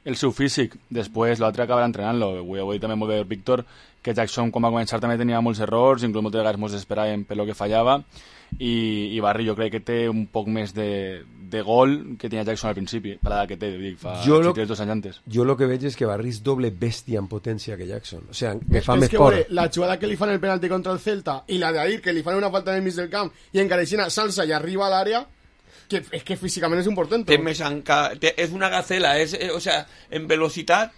el seu físic. Després l'altre acabarà entrenant-lo. Avui, avui també molt bé Víctor, que Jackson quan va començar també tenia molts errors, inclús moltes vegades ens esperàvem per lo que fallava, i, i Barri jo crec que té un poc més de, de gol que tenia Jackson al principi, per l'edat que té, dic, fa jo lo, dos anys antes. Jo el que veig és que Barri és doble bèstia en potència que Jackson. O sea, me fa és més que, por. Vale, la jugada que li fan el penalti contra el Celta i la d'ahir, que li fan una falta en el mig del camp i encara així salsa i arriba a l'àrea, que és que físicament és un portento. Té més enca... té, és una gacela, és, eh, o sea, en velocitat.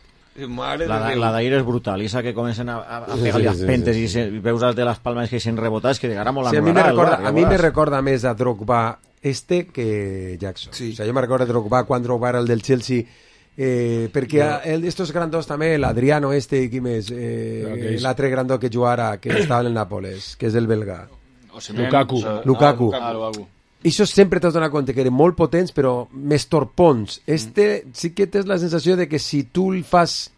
Madre la, la d'ahir és brutal, i que comencen a, a, a pegar-li sí, sí, pentes sí, sí. i, se, i veus els de les palmes que s'han rebotat, que ara molt sí, a mi me recorda, a mi me recorda més a Drogba este que Jackson. Sí. O sea, jo me recordo a Drogba quan Drogba era el del Chelsea, eh, perquè no. el, estos grandos també, l'Adriano este, qui més, eh, l'altre grandó que jugara, que estava en el Nàpoles, que és el belga. Lukaku. Ah, Lukaku. Ah, Lukaku. I això sempre t'has donat compte que eren molt potents però més torpons. Este sí que tens la sensació de que si tu el fas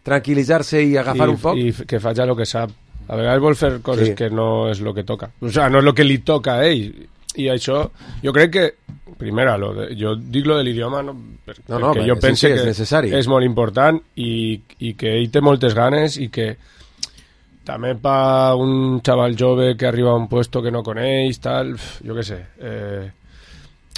tranquil·litzar-se i agafar I, un poc... I que faig el que sap. A vegades vol fer coses sí. que no és el que toca. O sea, no és el que li toca a ell. I això, jo crec que primera, lo de, jo dic lo de l'idioma no, perquè no, no, jo pense sí, sí, que és, necessari. És molt important i, i que ell té moltes ganes i que també per un xaval jove que arriba a un puesto que no coneix, tal, jo què sé, eh,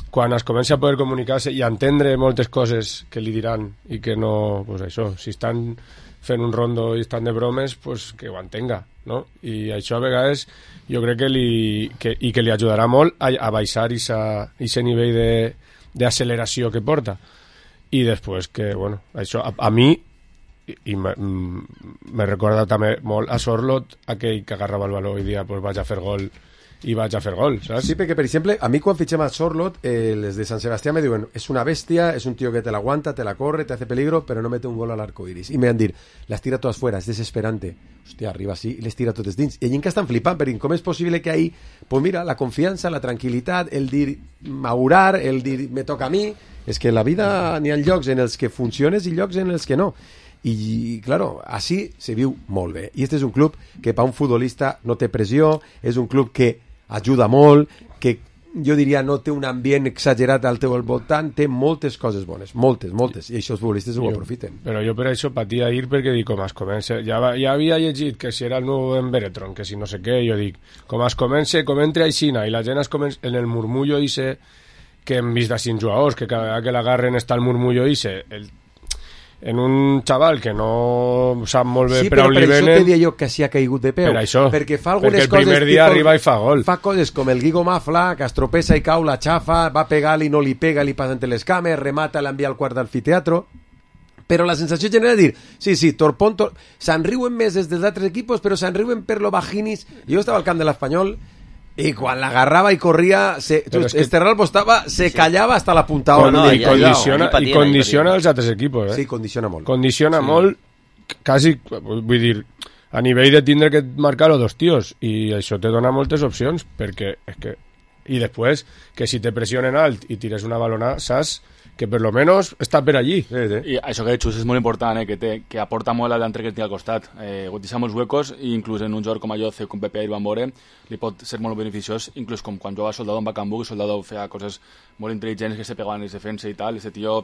quan es comença a poder comunicar-se i entendre moltes coses que li diran i que no, pues això, si estan fent un rondo i estan de bromes, pues que ho entenga, no? I això a vegades jo crec que li, que, i que li ajudarà molt a, a baixar aquest nivell d'acceleració que porta. I després que, bueno, això a, a mi i me, me recorda també molt a Sorlot, aquell que agarrava el baló i dia pues vaig a fer gol i vaig a fer gol, saps? Sí, perquè, per exemple, a mi quan fitxem a Sorlot, eh, les de Sant Sebastià me diuen, és una bèstia, és un tío que te la aguanta, te la corre, te hace peligro, però no mete un gol al arco iris. I me van dir, les tira totes fuera, és desesperante. Hòstia, arriba així i les tira totes dins. I allà que estan flipant, perquè com és possible que ahí, pues mira, la confiança, la tranquil·litat, el dir maurar, el dir me toca a mi, és que la vida n'hi ha llocs en els que funciones i llocs en els que no. I, claro, així se viu molt bé. I este és un club que per un futbolista no té pressió, és un club que ajuda molt, que jo diria no té un ambient exagerat al teu voltant, té moltes coses bones, moltes, moltes, i això els futbolistes ho jo, aprofiten. Però jo per això patia ir perquè dic, com es comença, ja, ja havia llegit que si era el nou en Beretron, que si no sé què, jo dic, com es comença, com entre aixina, i la gent es comença, en el murmullo ise, que hem vist d'ací jugadors, que cada vegada que l'agarren està el murmullo ise, el en un xaval que no sap molt bé sí, per on li venen... Sí, però per això te dia jo que s'hi ha caigut de peu. Per això, perquè fa algunes perquè el coses... primer dia tipus, arriba i fa gol. Fa coses com el Guigo Mafla, que es tropessa i cau, la xafa, va pegar-li, no li pega, li passa entre les cames, remata, l'envia al quart d'amfiteatro... Però la sensació general és dir, sí, sí, Torpón, tor... se'n riuen més des dels altres equipos, però se'n riuen per lo bajinis. Jo estava al camp de l'Espanyol i quan l'agarrava i corria, se, tu, es que... Esterralbo estava, se callava hasta la punta. No, no, i, condiciona, i condiciona els altres equipos, eh? Sí, condiciona molt. Condiciona sí. molt, quasi, vull dir, a nivell de tindre que marcar-ho dos tios, i això te dona moltes opcions, perquè és que... I després, que si te pressionen alt i tires una balona, saps que per lo menos està per allí. Sí, sí. I això que he dit, és molt important, eh, que, té, que aporta molt a l'entre que té al costat. Eh, deixa molts huecos, i inclús en un joc com allò, com Pepe i Van Bore, li pot ser molt beneficiós, inclús com quan jugava Soldado en Bacambú, que Soldado feia coses molt intel·ligents, que se pegaven en defensa i tal, i aquest tio...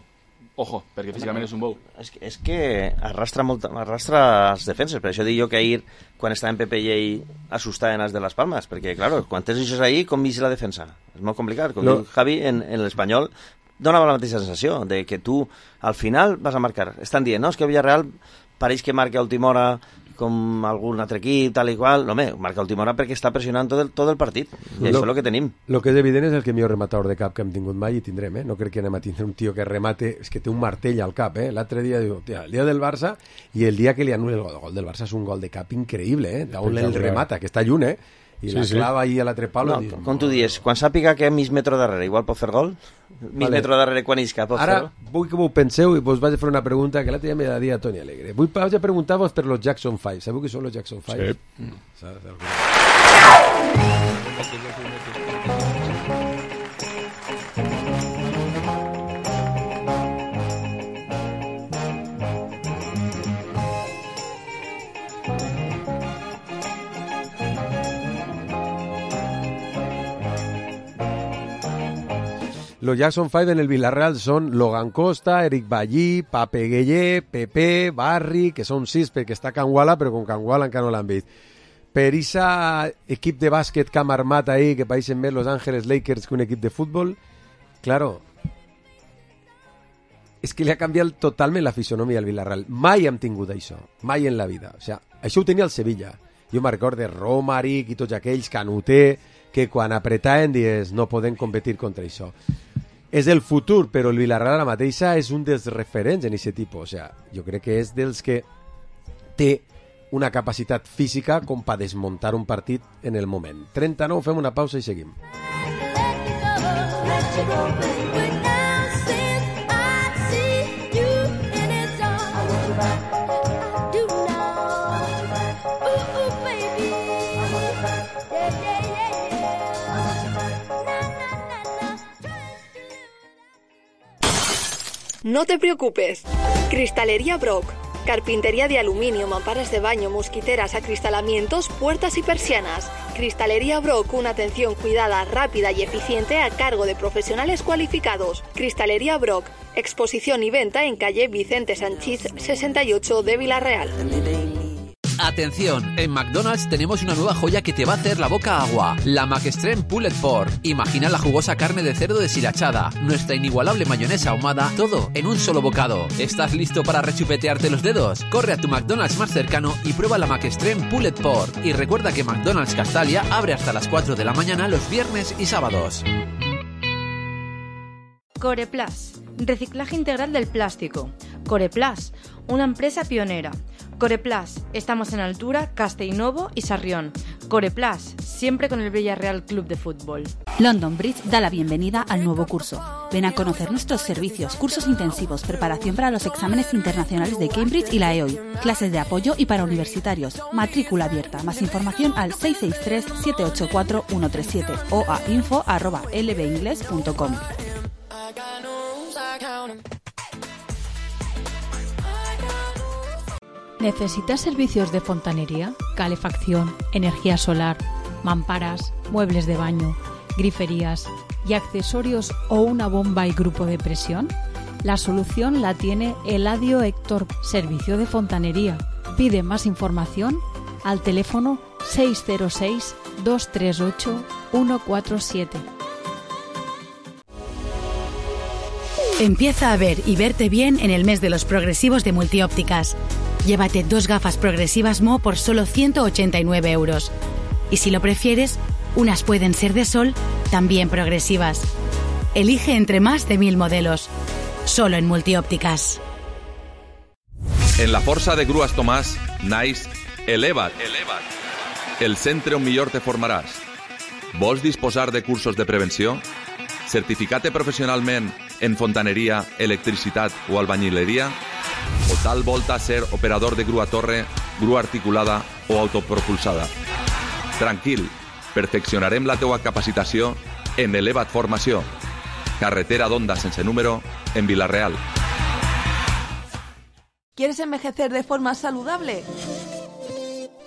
Ojo, perquè físicament és un bou. És que, és que arrastra, molt, arrastra les defenses, per això dic jo que ahir, quan estava en Pepe i ell, assustaven els de les Palmes, perquè, claro, quan tens això ahí, com vist la defensa? És molt complicat. Com no. Diu Javi, en, en l'Espanyol, donava la mateixa sensació, de que tu, al final, vas a marcar. Estan dient, no, és que Villarreal pareix que marca a última hora com algun altre equip, tal i qual. No, home, marca a última hora perquè està pressionant tot el, tot el partit. I lo, això és el que tenim. El que és evident és el que millor rematador de cap que hem tingut mai i tindrem, eh? No crec que anem a tindre un tio que remate, és que té un martell al cap, eh? L'altre dia diu, tia, el dia del Barça i el dia que li anul·la el gol, el gol del Barça és un gol de cap increïble, eh? D'on el remata, que està lluny, eh? I sí, la clava sí. ahí a l'altre palo. No, dius, com tu dius, quan sàpiga que mig metro darrere igual pot fer gol, mig vale. metro darrere quan isca pot Ara, fer gol. vull que m'ho penseu i vos vaig a fer una pregunta que l'altre dia me la dia Toni Alegre. Vull vaig a preguntar-vos per los Jackson five. Sabeu qui són los Jackson five? Sí. Mm. Los Jackson five en el Villarreal son Logan Costa, Eric Ballí, Pape Gueye, Pepe, Barri, que són sis perquè està Canguala, però com Canguala encara no l'han vist. Per esa equip de bàsquet que hem armat ahí, que pareixen més Los Angeles Lakers que un equip de futbol, claro, és que li ha canviat totalment la fisonomia al Villarreal. Mai hem tingut això, mai en la vida. O sea, això ho tenia el Sevilla. Jo me'n recordo Romaric i tots aquells, Canuté, que quan apretaven dies no podem competir contra això. És el futur, però el Villarreal ara mateixa és un dels referents en aquest tipus. O sea, jo crec que és dels que té una capacitat física com per desmuntar un partit en el moment. trenta-nou, fem una pausa i seguim. No te preocupes. Cristalería Brock. Carpintería de aluminio, mamparas de baño, mosquiteras, acristalamientos, puertas y persianas. Cristalería Brock, una atención cuidada, rápida y eficiente a cargo de profesionales cualificados. Cristalería Brock, exposición y venta en calle Vicente Sanchís sesenta y ocho de Villarreal. Atención, en McDonald's tenemos una nueva joya que te va a hacer la boca agua, la McStrem Pulled Pork. Imagina la jugosa carne de cerdo deshilachada, nuestra inigualable mayonesa ahumada, todo en un solo bocado. ¿Estás listo para rechupetearte los dedos? Corre a tu McDonald's más cercano y prueba la McStrem Pulled Pork. Y recuerda que McDonald's Castalia abre hasta las cuatro de la mañana los viernes y sábados. Coreplas, reciclaje integral del plástico. Coreplas, una empresa pionera. Coreplas, estamos en Altura, Castellnovo y Sarrión. Coreplus, siempre con el Villarreal Club de Fútbol. London Bridge da la bienvenida al nuevo curso. Ven a conocer nuestros servicios, cursos intensivos, preparación para los exámenes internacionales de Cambridge y la E O I, clases de apoyo y para universitarios, matrícula abierta. Más información al seis seis tres, siete ocho cuatro, uno tres siete o a info arroba l b ingles punto com. ¿Necesitas servicios de fontanería, calefacción, energía solar, mamparas, muebles de baño, griferías y accesorios o una bomba y grupo de presión? La solución la tiene Eladio Héctor, servicio de fontanería. Pide más información al teléfono seis cero seis, dos tres ocho, uno cuatro siete. Empieza a ver y verte bien en el mes de los progresivos de Multiópticas. Llévate dos gafas progresivas M O por solo ciento ochenta y nueve euros. Y si lo prefieres, unas pueden ser de sol, también progresivas. Elige entre más de mil modelos. Solo en Multiópticas. En la força de Grues Tomàs naix Eleva't. El centre on millor te formaràs. Vols disposar de cursos de prevenció? Certificat professionalment en fontaneria, electricitat o albañileria? O tal volta ser operador de grua torre, grua articulada o autopropulsada? Tranquil, perfeccionarem la teua capacitació en Eleva't Formació. Carretera d'Onda sense número en Vila-real. ¿Quieres envejecer de forma saludable?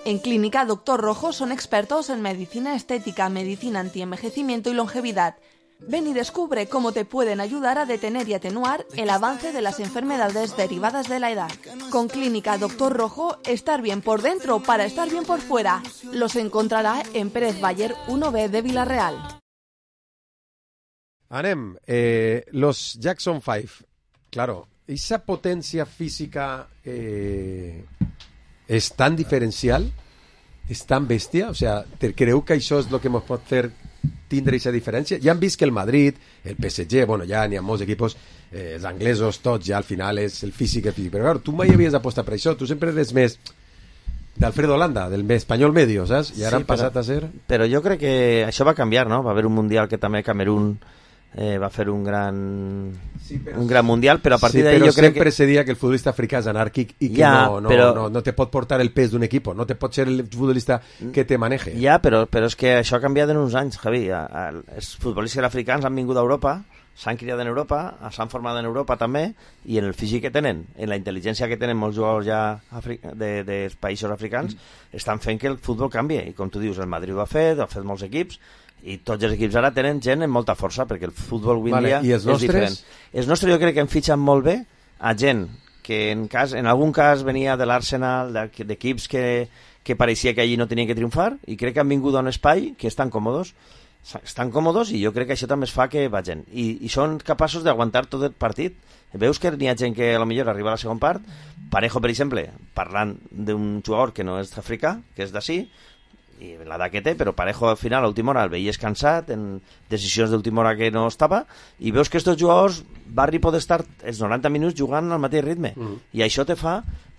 En Clínica Doctor Rojo son expertos en medicina estética, medicina antienvejecimiento y longevidad. Ven y descubre cómo te pueden ayudar a detener y atenuar el avance de las enfermedades derivadas de la edad. Con Clínica Doctor Rojo, estar bien por dentro para estar bien por fuera. Los encontrará en Pérez Bayer uno B de Vila-real. Anem, eh, los Jackson Five, claro, esa potencia física eh, és tan diferencial, és tan bèstia, o sea, te creu que això és el que ens pot fer tindre aquesta diferència? Ja han vist que el Madrid, el P S G, bueno, ja n'hi ha molts equipos, eh, els anglesos, tots, ja al final és el físic, el físic, però claro, tu mai havies apostat per això, tu sempre eres més d'Alfredo Holanda, del espanyol medio, saps? I ara sí, han passat però, a ser... Però jo crec que això va canviar, no? Va haver un mundial que també Camerún eh, va fer un gran sí, però... un gran mundial, però a partir sí, d'ahí jo crec que... però sempre se dia que el futbolista africà és anàrquic i que ja, no, no, però... no, no te pot portar el pes d'un equip, no te pot ser el futbolista que te maneje. Ja, però, però és que això ha canviat en uns anys, Javi. Els futbolistes africans han vingut a Europa, s'han criat en Europa, s'han format en Europa també, i en el físic que tenen, en la intel·ligència que tenen molts jugadors ja afri... de, dels països africans, mm. estan fent que el futbol canvi. I com tu dius, el Madrid ho ha fet, ho ha fet molts equips, i tots els equips ara tenen gent amb molta força, perquè el futbol avui vale, dia és nostres? diferent. Els nostres jo crec que en fitxen molt bé a gent que en, cas, en algun cas venia de l'Arsenal, d'equips que, que pareixia que allí no tenien que triomfar, i crec que han vingut a un espai que estan còmodes, estan còmodes, i jo crec que això també es fa que vagin. I, i són capaços d'aguantar tot el partit. Veus que n'hi ha gent que a lo millor arriba a la segona part, Parejo, per exemple, parlant d'un jugador que no és africà, que és d'ací, i l'edat que té, però Parejo al final a última hora el veies cansat en decisions d'última hora que no estava, i veus que aquests jugadors Barri pot estar els noranta minuts jugant al mateix ritme, mm. i això te fa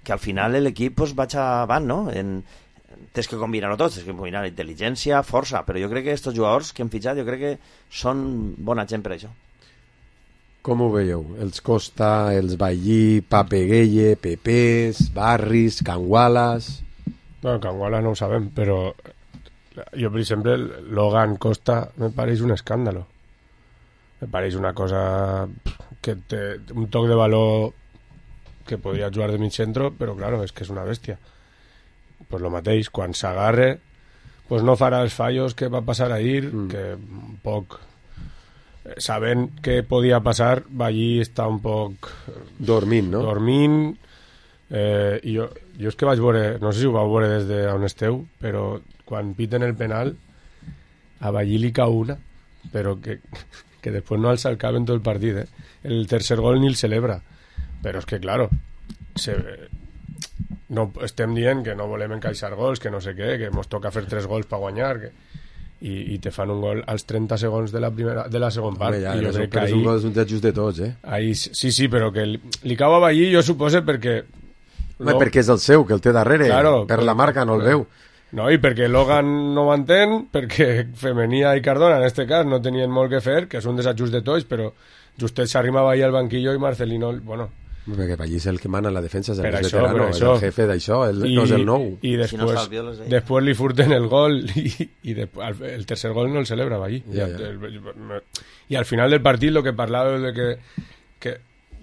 que al final l'equip pues, vaig avant, no? En, tens que combinar-ho tot, tens que combinar intel·ligència, força, però jo crec que aquests jugadors que hem fitxat jo crec que són bona gent per això. Com ho veieu? Els Costa, els Ballí, Pape Gueye, Pepés, Barris, Cangualas... Bueno, Canguala no ho sabem, però jo, per exemple, Logan Costa me pareix un escàndalo. Me pareix una cosa que té un toc de valor que podria jugar de mig centro, però claro, és que és una bèstia. Pues lo mateix, quan s'agarre, pues no farà els fallos que va passar ahir, mm. que un poc... Sabent què podia passar, allí està un poc... Dormint, no? Dormint... Eh, i jo, jo és que vaig veure, no sé si ho vau veure des d'on esteu, però quan piten el penal a Ballí li cau una, però que, que després no el salcaven tot el partit, eh? El tercer gol ni el celebra, però és que claro se, no, estem dient que no volem encaixar gols, que no sé què, que ens toca fer tres gols per guanyar, que i, i te fan un gol als trenta segons de la primera de la segona part. Home, ja, i jo crec que ahí, és un gol és un just de tots, eh? Ahí, sí, sí, però que li, li cau a Ballí, jo suposo perquè no, perquè és el seu, que el té darrere, claro, per la marca no el veu. No, i perquè Logan no ho entén, perquè Femenia i Cardona, en este cas, no tenien molt que fer, que és un desajust de tots, però Justet s'arrimava ahí al banquillo i Marcelino, bueno... Perquè allí és el que mana la defensa, és el per més això, veterano, per és això. el jefe d'això, el, I, no és el nou. I després, si no després li furten el gol i, i després, el tercer gol no el celebrava allí. Ja, I, ja. el, I al final del partit lo que parlava de que, que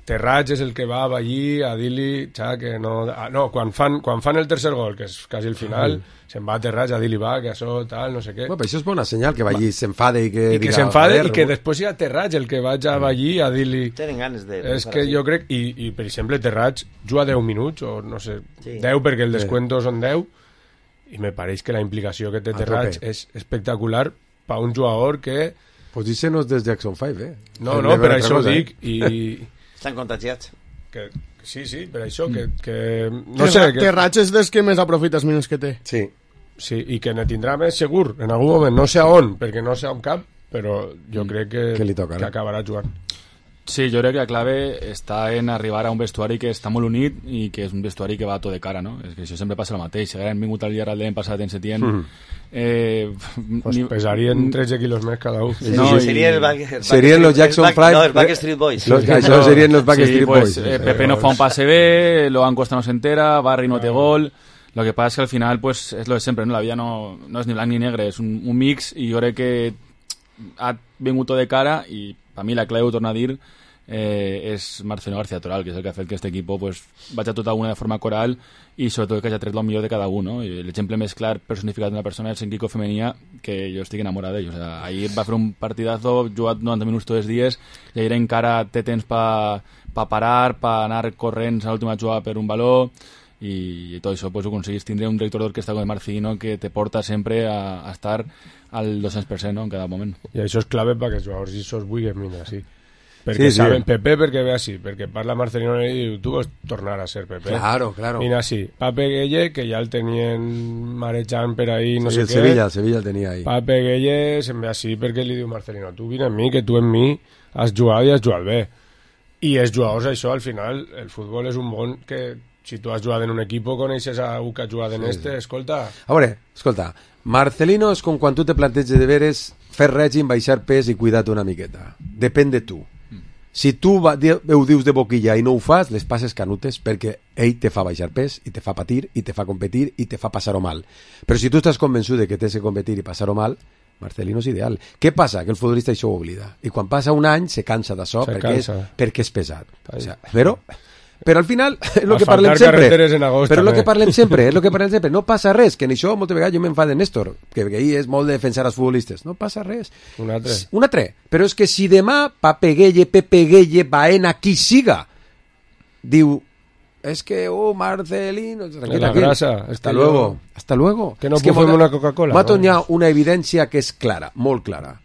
Terrats és el que va allí a dir-li que no... Ah, no, quan fan, quan fan el tercer gol, que és quasi el final, uh-huh. se'n va a Terrats a dir-li va, que això tal, no sé què. Bueno, però això és bona senyal, que va allí s'enfade i que... I que diga, s'enfade i que després hi ha Terrats el que vaig a allí a dir-li... Tenen ganes de... És que jo crec... I, i per exemple, Terrats juga deu minuts, o no sé, sí. deu perquè el descuento són deu, i me pareix que la implicació que té Terrats és espectacular per un jugador que... Pues dícenos des Jackson five, eh? No, no, per això ho dic, i... Estan contagiats. Que, sí, sí, per això, que... que no que sé... Que Terrats és dels que més aprofita els minuts que té. Sí. Sí, i que ne tindrà més segur, en algun moment, no sé a on, perquè no sé on cap, però jo crec que, que, li tocarà. que acabarà jugant. Sí, jo crec que la clave està en arribar a un vestuari que està molt unit i que és un vestuari que va tot de cara, no? És que això sempre passa el mateix. Si haguem vingut al dia l'any passat en Setién... Mm. Eh, pues ni... pesarien tretze quilos més cada un. No, sí, i... Serien, back, serien los Jackson Five. No, els Backstreet Boys. Los, això serien los Backstreet sí, Boys. Pues, eh, Pepe no fa un pase bé, Logan Costa no s'entera, Barry no té gol... Lo que pasa es que al final pues es lo de siempre, ¿no? La vida no, no es ni blanc ni negre, es un, un mix y yo creo que ha vingut tot de cara y para mí la clave, ho torno a dir, eh, és Marcelino García Toral, que és el que ha fet que este equipo pues, vagi a tota una de forma coral i sobretot que hagi tret el millor de cada un, no? I l'exemple més clar personificat d'una persona és en Quico Femenia, que jo estic enamorat d'ell. O sea, ahir va fer un partidazo, jugat noranta minuts tots els dies, i ahir encara té temps per pa parar, per anar corrents a l'última jugada per un valor, i, i tot això pues, ho aconseguís tindre un director d'orquestra com el Marcelino que te porta sempre a, a estar al dos-cents per cent, no? En cada moment. I això és clave perquè els jugadors això es vulguin mirar, sí. Perquè sí, saben, sí. Pepe perquè ve així, perquè parla Marcelino i diu, tu vols tornar a ser Pepe. Claro, claro. Vine així. Pape Gueye, que ja el tenien marejant per ahí, no sí, sé el què. Sevilla, el Sevilla el tenia ahí. Pape Gueye se'n ve així perquè li diu Marcelino, tu vine amb mi, que tu amb mi has jugat i has jugat bé. I els jugadors, això, al final, el futbol és un món que si tu has jugat en un equip, coneixes a algú que ha jugat en sí, este, sí. Escolta... A veure, escolta, Marcelino és com quan tu te planteges de veres fer règim, baixar pes i cuidar-te una miqueta. Depèn de tu. Si tu va, ho dius de boquilla i no ho fas, les passes canutes perquè ell te fa baixar pes i te fa patir i te fa competir i te fa passar-ho mal. Però si tu estàs convençut de que tens que competir i passar-ho mal, Marcelino és ideal. Què passa? Que el futbolista això ho oblida. I quan passa un any se cansa d'això perquè, és, perquè és pesat. O sea, però... Però al final és el que parlem sempre. Agost, però és el que parlem sempre, és el que parlem sempre. No passa res, que en això moltes vegades jo m'enfado de Néstor, que ell és molt de defensar els futbolistes. No passa res. Un altre. Un altre. Però és que si demà Pape Gueye, Pepe Gueye, Baena, qui siga, diu, es que, oh, Marcelino... La grasa. Hasta luego. Yo... Hasta luego. Que no es que puedo una Coca-Cola. Mato n'hi ha una evidència que és clara, molt clara.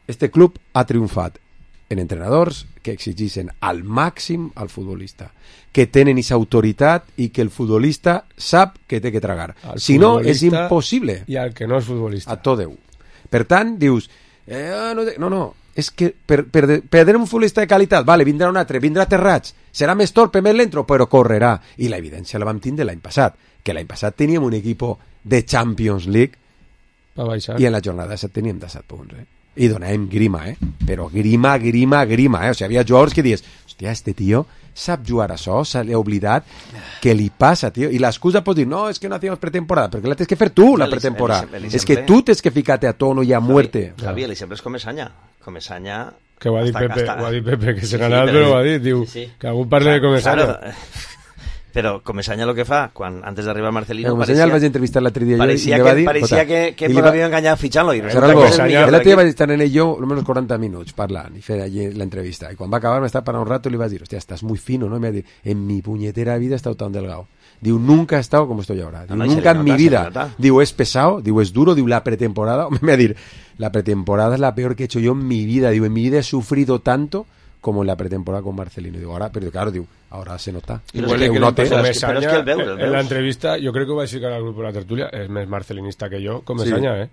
Este club ha triomfat en entrenadors que exigeixen al màxim al futbolista, que tenen aquesta autoritat i que el futbolista sap que té que tragar. El si no, és impossible. I al que no és futbolista. A tot Déu. Per tant, dius... Eh, no, no, no, és que per, per, per tenir un futbolista de qualitat, vale, vindrà un altre, vindrà Terrats, serà més torpe, més lento, però correrà. I la evidència la vam tindre l'any passat, que l'any passat teníem un equip de Champions League i en la jornada set teníem disset punts, eh? I donàvem grima, eh? Però grima, grima, grima, eh? O sigui, havia jugadors que dius, hòstia, este tio sap jugar a això, se l'ha oblidat, què li passa, tio? I l'excusa pot dir, no, és que no hacíamos pretemporada, perquè la tens que fer tu, la pretemporada. És que tu tens que ficar-te a tono i a muerte. Javi, l'exemple és Comesaña. Comesaña... Que ho ha dit Pepe, ho ha dit Pepe, que serà l'altre, ho ha dit, diu, que algú parli de Comesaña. Però Comesaña lo que fa, quan antes d'arribar Marcelino... Comesaña pareixia, el vaig entrevistar l'altre dia pareixia i que, va dir... Pareixia que, que li l'havia enganyat fitxant-lo. L'altre dia vaig estar en ell jo almenys quaranta minuts parlant i fer allí l'entrevista. I quan va acabar m'estava parlant un rato i li vaig dir, hòstia, estàs muy fino, ¿no? Y me va dir, en mi puñetera vida he estado tan delgado. Diu, nunca he estado como estoy ahora. Diu, no, nunca en mi vida. Diu, es pesado, diu, es duro, diu, la pretemporada... Me va dir, la pretemporada es la peor que he hecho yo en mi vida. Diu, en mi vida he sufrido tanto como en la pretemporada con Marcelino. Digo, ahora, pero claro, digo, ahora se nota. Igual que, que note. Comesaña, es que el veu, el en la entrevista, yo creo que va a explicar al grupo de la tertulia, es más marcelinista que yo, Comesaña, sí. eh.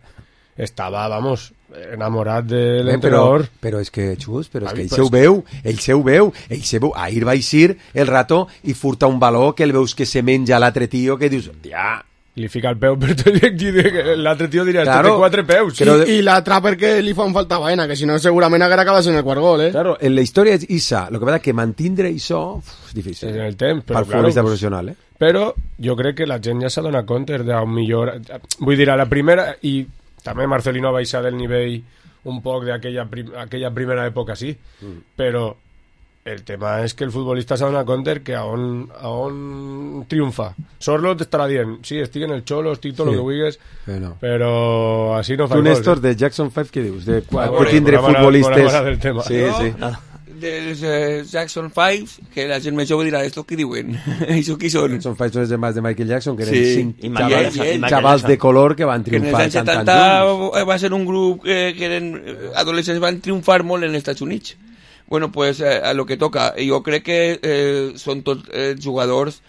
Estava, vamos, enamorat de l'entrenador. Però, però és que, Xus, però és que ell se ho veu, ell se ho veu, ell se veu. Ahir va eixir el rato i furta un valor que el veus que se menja l'altre tio que dius, ja, li fica el peu per tot i l'altre tio diria, claro, té quatre peus. Sí, de... I l'altre perquè li fan falta vaina, que si no segurament haguera acabat en el quart gol, eh? Claro, en la història és Isa, el que passa que mantindre això és difícil. En el temps, però per claro, futbolista pues, professional, eh? Però jo crec que la gent ja s'ha donat compte d'un millor... Vull dir, a la primera, i també Marcelino va baixar del nivell un poc d'aquella prim... aquella primera època, sí, mm. però el tema és que el futbolista s'ha donat compte que a on, a on triomfa. Sorlot estarà dient, sí, estic en el Xolo, estic tot sí, el que vulguis, no. Però així no fa tu, Néstor, eh? De Jackson five, què dius? De, ah, de tindre futbolistes... Del tema. Sí, no, sí. Ah. Dels eh, Jackson five, que la gent més jove dirà, esto què diuen? Això qui són? Jackson five són els germans de Michael Jackson, que eren sí. cinc xavals, xavals de color que van triomfar que en els anys setanta va ser un grup eh, que eren adolescents, van triomfar molt en els Estats Units. Bueno, pues eh, a lo que toca. Jo crec que eh, són tots eh, jugadors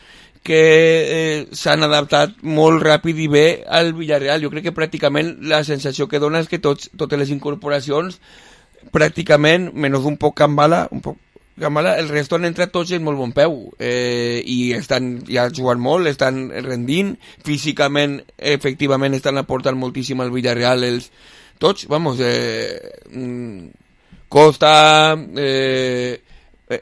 que eh, s'han adaptat molt ràpid i bé al Villarreal. Jo crec que pràcticament la sensació que dona és que tots, totes les incorporacions, pràcticament, menys un poc Cambala, un poc Cambala, el resto han entrat tots en molt bon peu. Eh, I estan ja jugant molt, estan rendint, físicament, efectivament, estan aportant moltíssim al Villarreal. Els, tots, vamos... Eh, mm, Costa, eh, eh,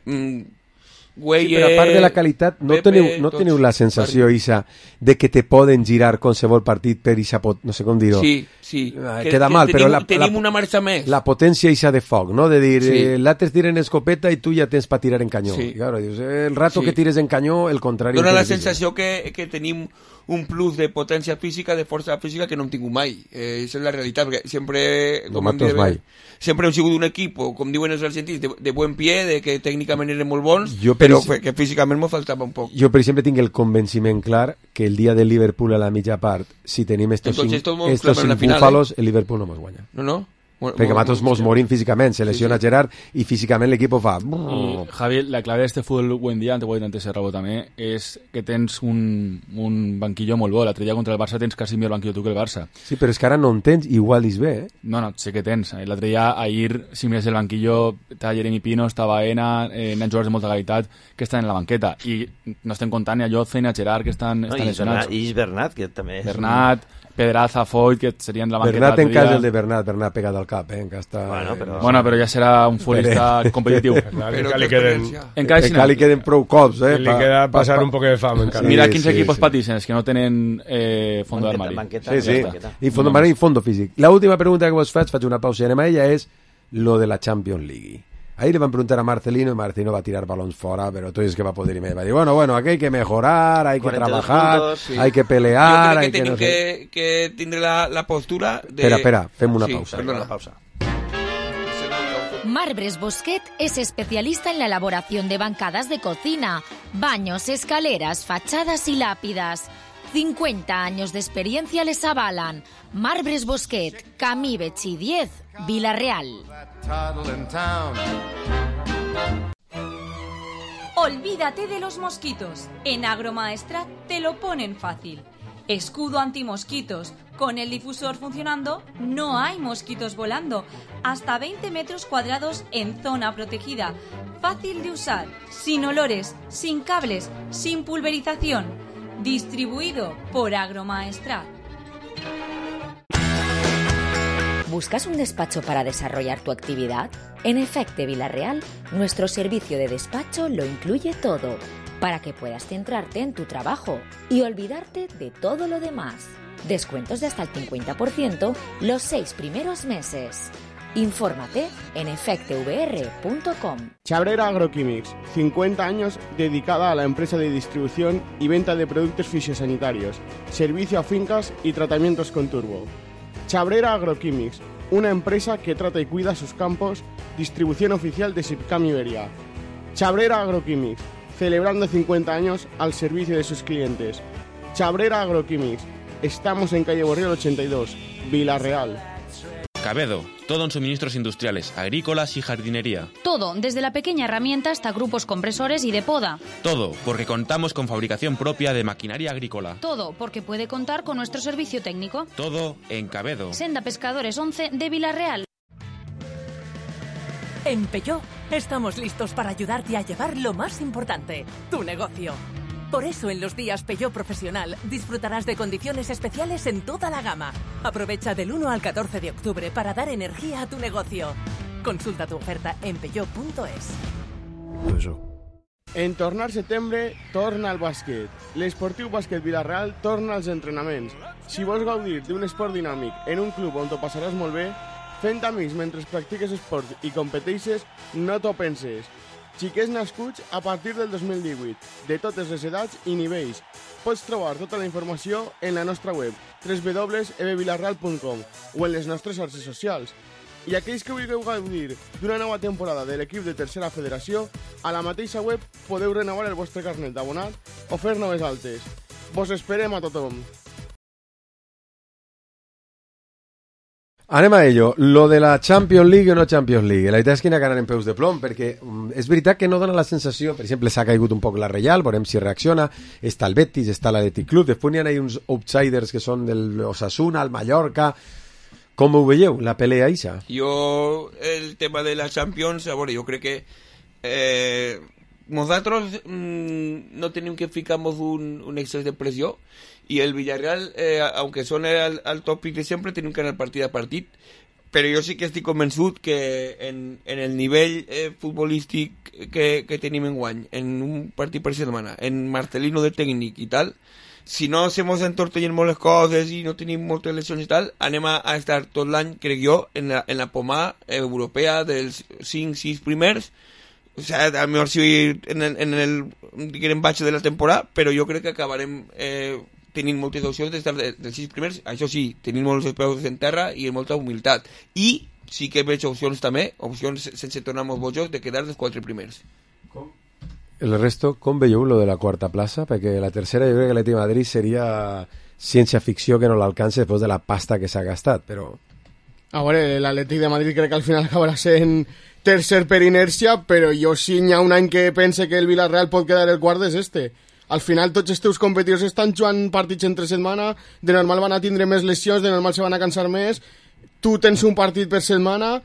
Güelles... Sí, però a part de la qualitat, no, Pepe, teniu, no teniu la sensació, per... Isa, de que te poden girar qualsevol partit per Isa, no sé com dir-ho. Sí, sí. Ah, que, queda que mal, tenim, però la, tenim la, una marxa més. La potència Isa de foc, no? De dir, sí. eh, l'altre tiren escopeta i tu ja tens per tirar en canyó. Sí. I, claro, dius, eh, el rato sí. que tires en canyó, el contrari... Dóna la sensació que, que tenim un plus de potència física, de força física que no hem tingut mai. Eh, és la realitat, perquè sempre... No matos mai. Sempre hem sigut un equip, com diuen els argentins, de, de buen pie, de que tècnicament eren molt bons, jo, per però ese... que físicament m'ho faltava un poc. Jo, per exemple, tinc el convenciment clar que el dia del Liverpool a la mitja part, si tenim estos Entonces, cinc, estos cinc final, búfalos, eh? el Liverpool no mos guanya. No, no? Bueno, perquè nosaltres mos morim físicament, se lesiona sí, sí. Gerard i físicament l'equip ho fa. I, Javi, la clave d'este futbol buen dia, te ho he dit antes Serrabo també, és que tens un, un banquillo molt bo. L'altre dia contra el Barça tens quasi millor banquillo tu que el Barça. Sí, però és que ara no en tens, igual és bé, eh? No, no, sé que tens. L'altre dia, ahir, si mires el banquillo, està Jeremy Pino, està Baena, eh, n'hi ha jugadors de molta qualitat que estan en la banqueta. I no estem comptant ni a Jotze ni a Gerard, que estan, no, estan lesionats. I Bernat, que també és... Bernat, Pedraza, Foyt, que serien de la banqueta. Bernat en cas el de Bernat, Bernat pegat al cap, eh? Que està... Bueno, però, bueno, però ja serà un futbolista competitiu. Encara li queden, encara encara li queden prou cops, eh? Li queda passar pa, pa, un poc de fam encara. Mira quins sí, equipos sí. patixen, que no tenen eh, fondo d'armari. Sí, sí, i fondo d'armari i fondo físic. La última pregunta que vos faig, faig una pausa i anem a ella, és lo de la Champions League. Ahí le van a preguntar a Marcelino y Marcelino va a tirar balón fuera, pero tú dices que va a poder y me va a decir, bueno, bueno, aquí hay que mejorar, hay que trabajar, puntos, sí. hay que pelear, que hay que, que, no que, sé... que tindre la, la postura de... Espera, espera, fem una sí, pausa. Perdona. Una pausa. Marbres Bosquet es especialista en la elaboración de bancadas de cocina, baños, escaleras, fachadas y lápidas. cincuenta años de experiencia les avalan. Marbres Bosquet, Camí Betxí diez, Villarreal. Olvídate de los mosquitos. En Agromaestrat te lo ponen fácil. Escudo antimosquitos. Con el difusor funcionando, no hay mosquitos volando. Hasta veinte metros cuadrados en zona protegida. Fácil de usar, sin olores, sin cables, sin pulverización. Distribuido por Agromaestrat. ¿Buscas un despacho para desarrollar tu actividad? En Efecte Villarreal, nuestro servicio de despacho lo incluye todo, para que puedas centrarte en tu trabajo y olvidarte de todo lo demás. Descuentos de hasta el cincuenta por ciento los seis primeros meses. Infórmate en efecte v r punto com. Chabrera Agroquímics, cincuenta años dedicada a la empresa de distribución y venta de productos fisiosanitarios, servicio a fincas y tratamientos con turbo. Chabrera Agroquímics, una empresa que trata y cuida sus campos, distribución oficial de Sipcam Iberia. Chabrera Agroquímics, celebrando cincuenta años al servicio de sus clientes. Chabrera Agroquímics, estamos en calle Borriol ochenta y dos, Villarreal. Cabedo, todo en suministros industriales, agrícolas y jardinería. Todo, desde la pequeña herramienta hasta grupos compresores y de poda. Todo, porque contamos con fabricación propia de maquinaria agrícola. Todo, porque puede contar con nuestro servicio técnico. Todo en Cabedo. Senda Pescadores once de Villarreal. En Peugeot estamos listos para ayudarte a llevar lo más importante, tu negocio. Por eso en los días Peugeot Profesional disfrutarás de condiciones especiales en toda la gama. Aprovecha del uno al catorce de octubre para dar energía a tu negocio. Consulta tu oferta en peugeot punto es. En tornar setembre, torna el bàsquet. L'Esportiu Bàsquet Vila-real torna als entrenaments. Si vols gaudir d'un esport dinàmic en un club on t'ho passaràs molt bé, fent amics mentre practiques esport i competeixes, no t'ho penses. Xiquets nascuts a partir del dos mil divuit, de totes les edats i nivells. Pots trobar tota la informació en la nostra web w w w punt e b vilarreal punt com o en les nostres xarxes socials. I aquells que vulgueu gaudir d'una nova temporada de l'equip de tercera federació, a la mateixa web podeu renovar el vostre carnet d'abonat o fer noves altes. Vos esperem a tothom. Anem a ello. Lo de la Champions League o no Champions League. La veritat és que n'hi ha que anar en peus de plom, perquè um, és veritat que no dona la sensació, per exemple, s'ha caigut un poc la Reial, veurem si reacciona, està el Betis, està l'Atlètic Club, després n'hi ha uns outsiders que són del Osasuna, el Mallorca. Com ho veieu, la pelea ixa? Jo, el tema de la Champions, a veure, jo crec que eh, nosaltres mmm, no tenim que ficar-nos un, un excés de pressió, y el Villarreal, eh, aunque son al, al tòpic de sempre, tenim que anar partit a partit, però jo sí que estic convençut que en, en el nivell eh, futbolístic que, que tenim en guany, en un partit per setmana, en Marcelino de tècnic i tal, si no se mos entortellen molt les coses i no tenim moltes lesions i tal, anem a, a estar tot l'any, crec jo, en la, en la pomada europea dels cinc sis primers. O sea, a lo mejor si en el, en el diguem, baix de la temporada, però jo crec que acabarem eh, tenint moltes opcions d'estar de, dels sis primers. Això sí, tenint molts peus en terra i molta humilitat. I sí que veig opcions també, opcions sense tornar molt bojos, de quedar dels quatre primers. Com? El resto, com veieu lo de la quarta plaça? Perquè la tercera jo crec que l'Atlètic de Madrid seria ciència-ficció que no l'alcance després de la pasta que s'ha gastat, però... A veure, l'Atlètic de Madrid crec que al final acabarà sent tercer per inèrcia, però jo sí hi ha un any que pense que el Villarreal pot quedar el quart és este. Al final tots els teus competidors estan jugant partits entre setmana, de normal van a tindre més lesions, de normal se van a cansar més, tu tens un partit per setmana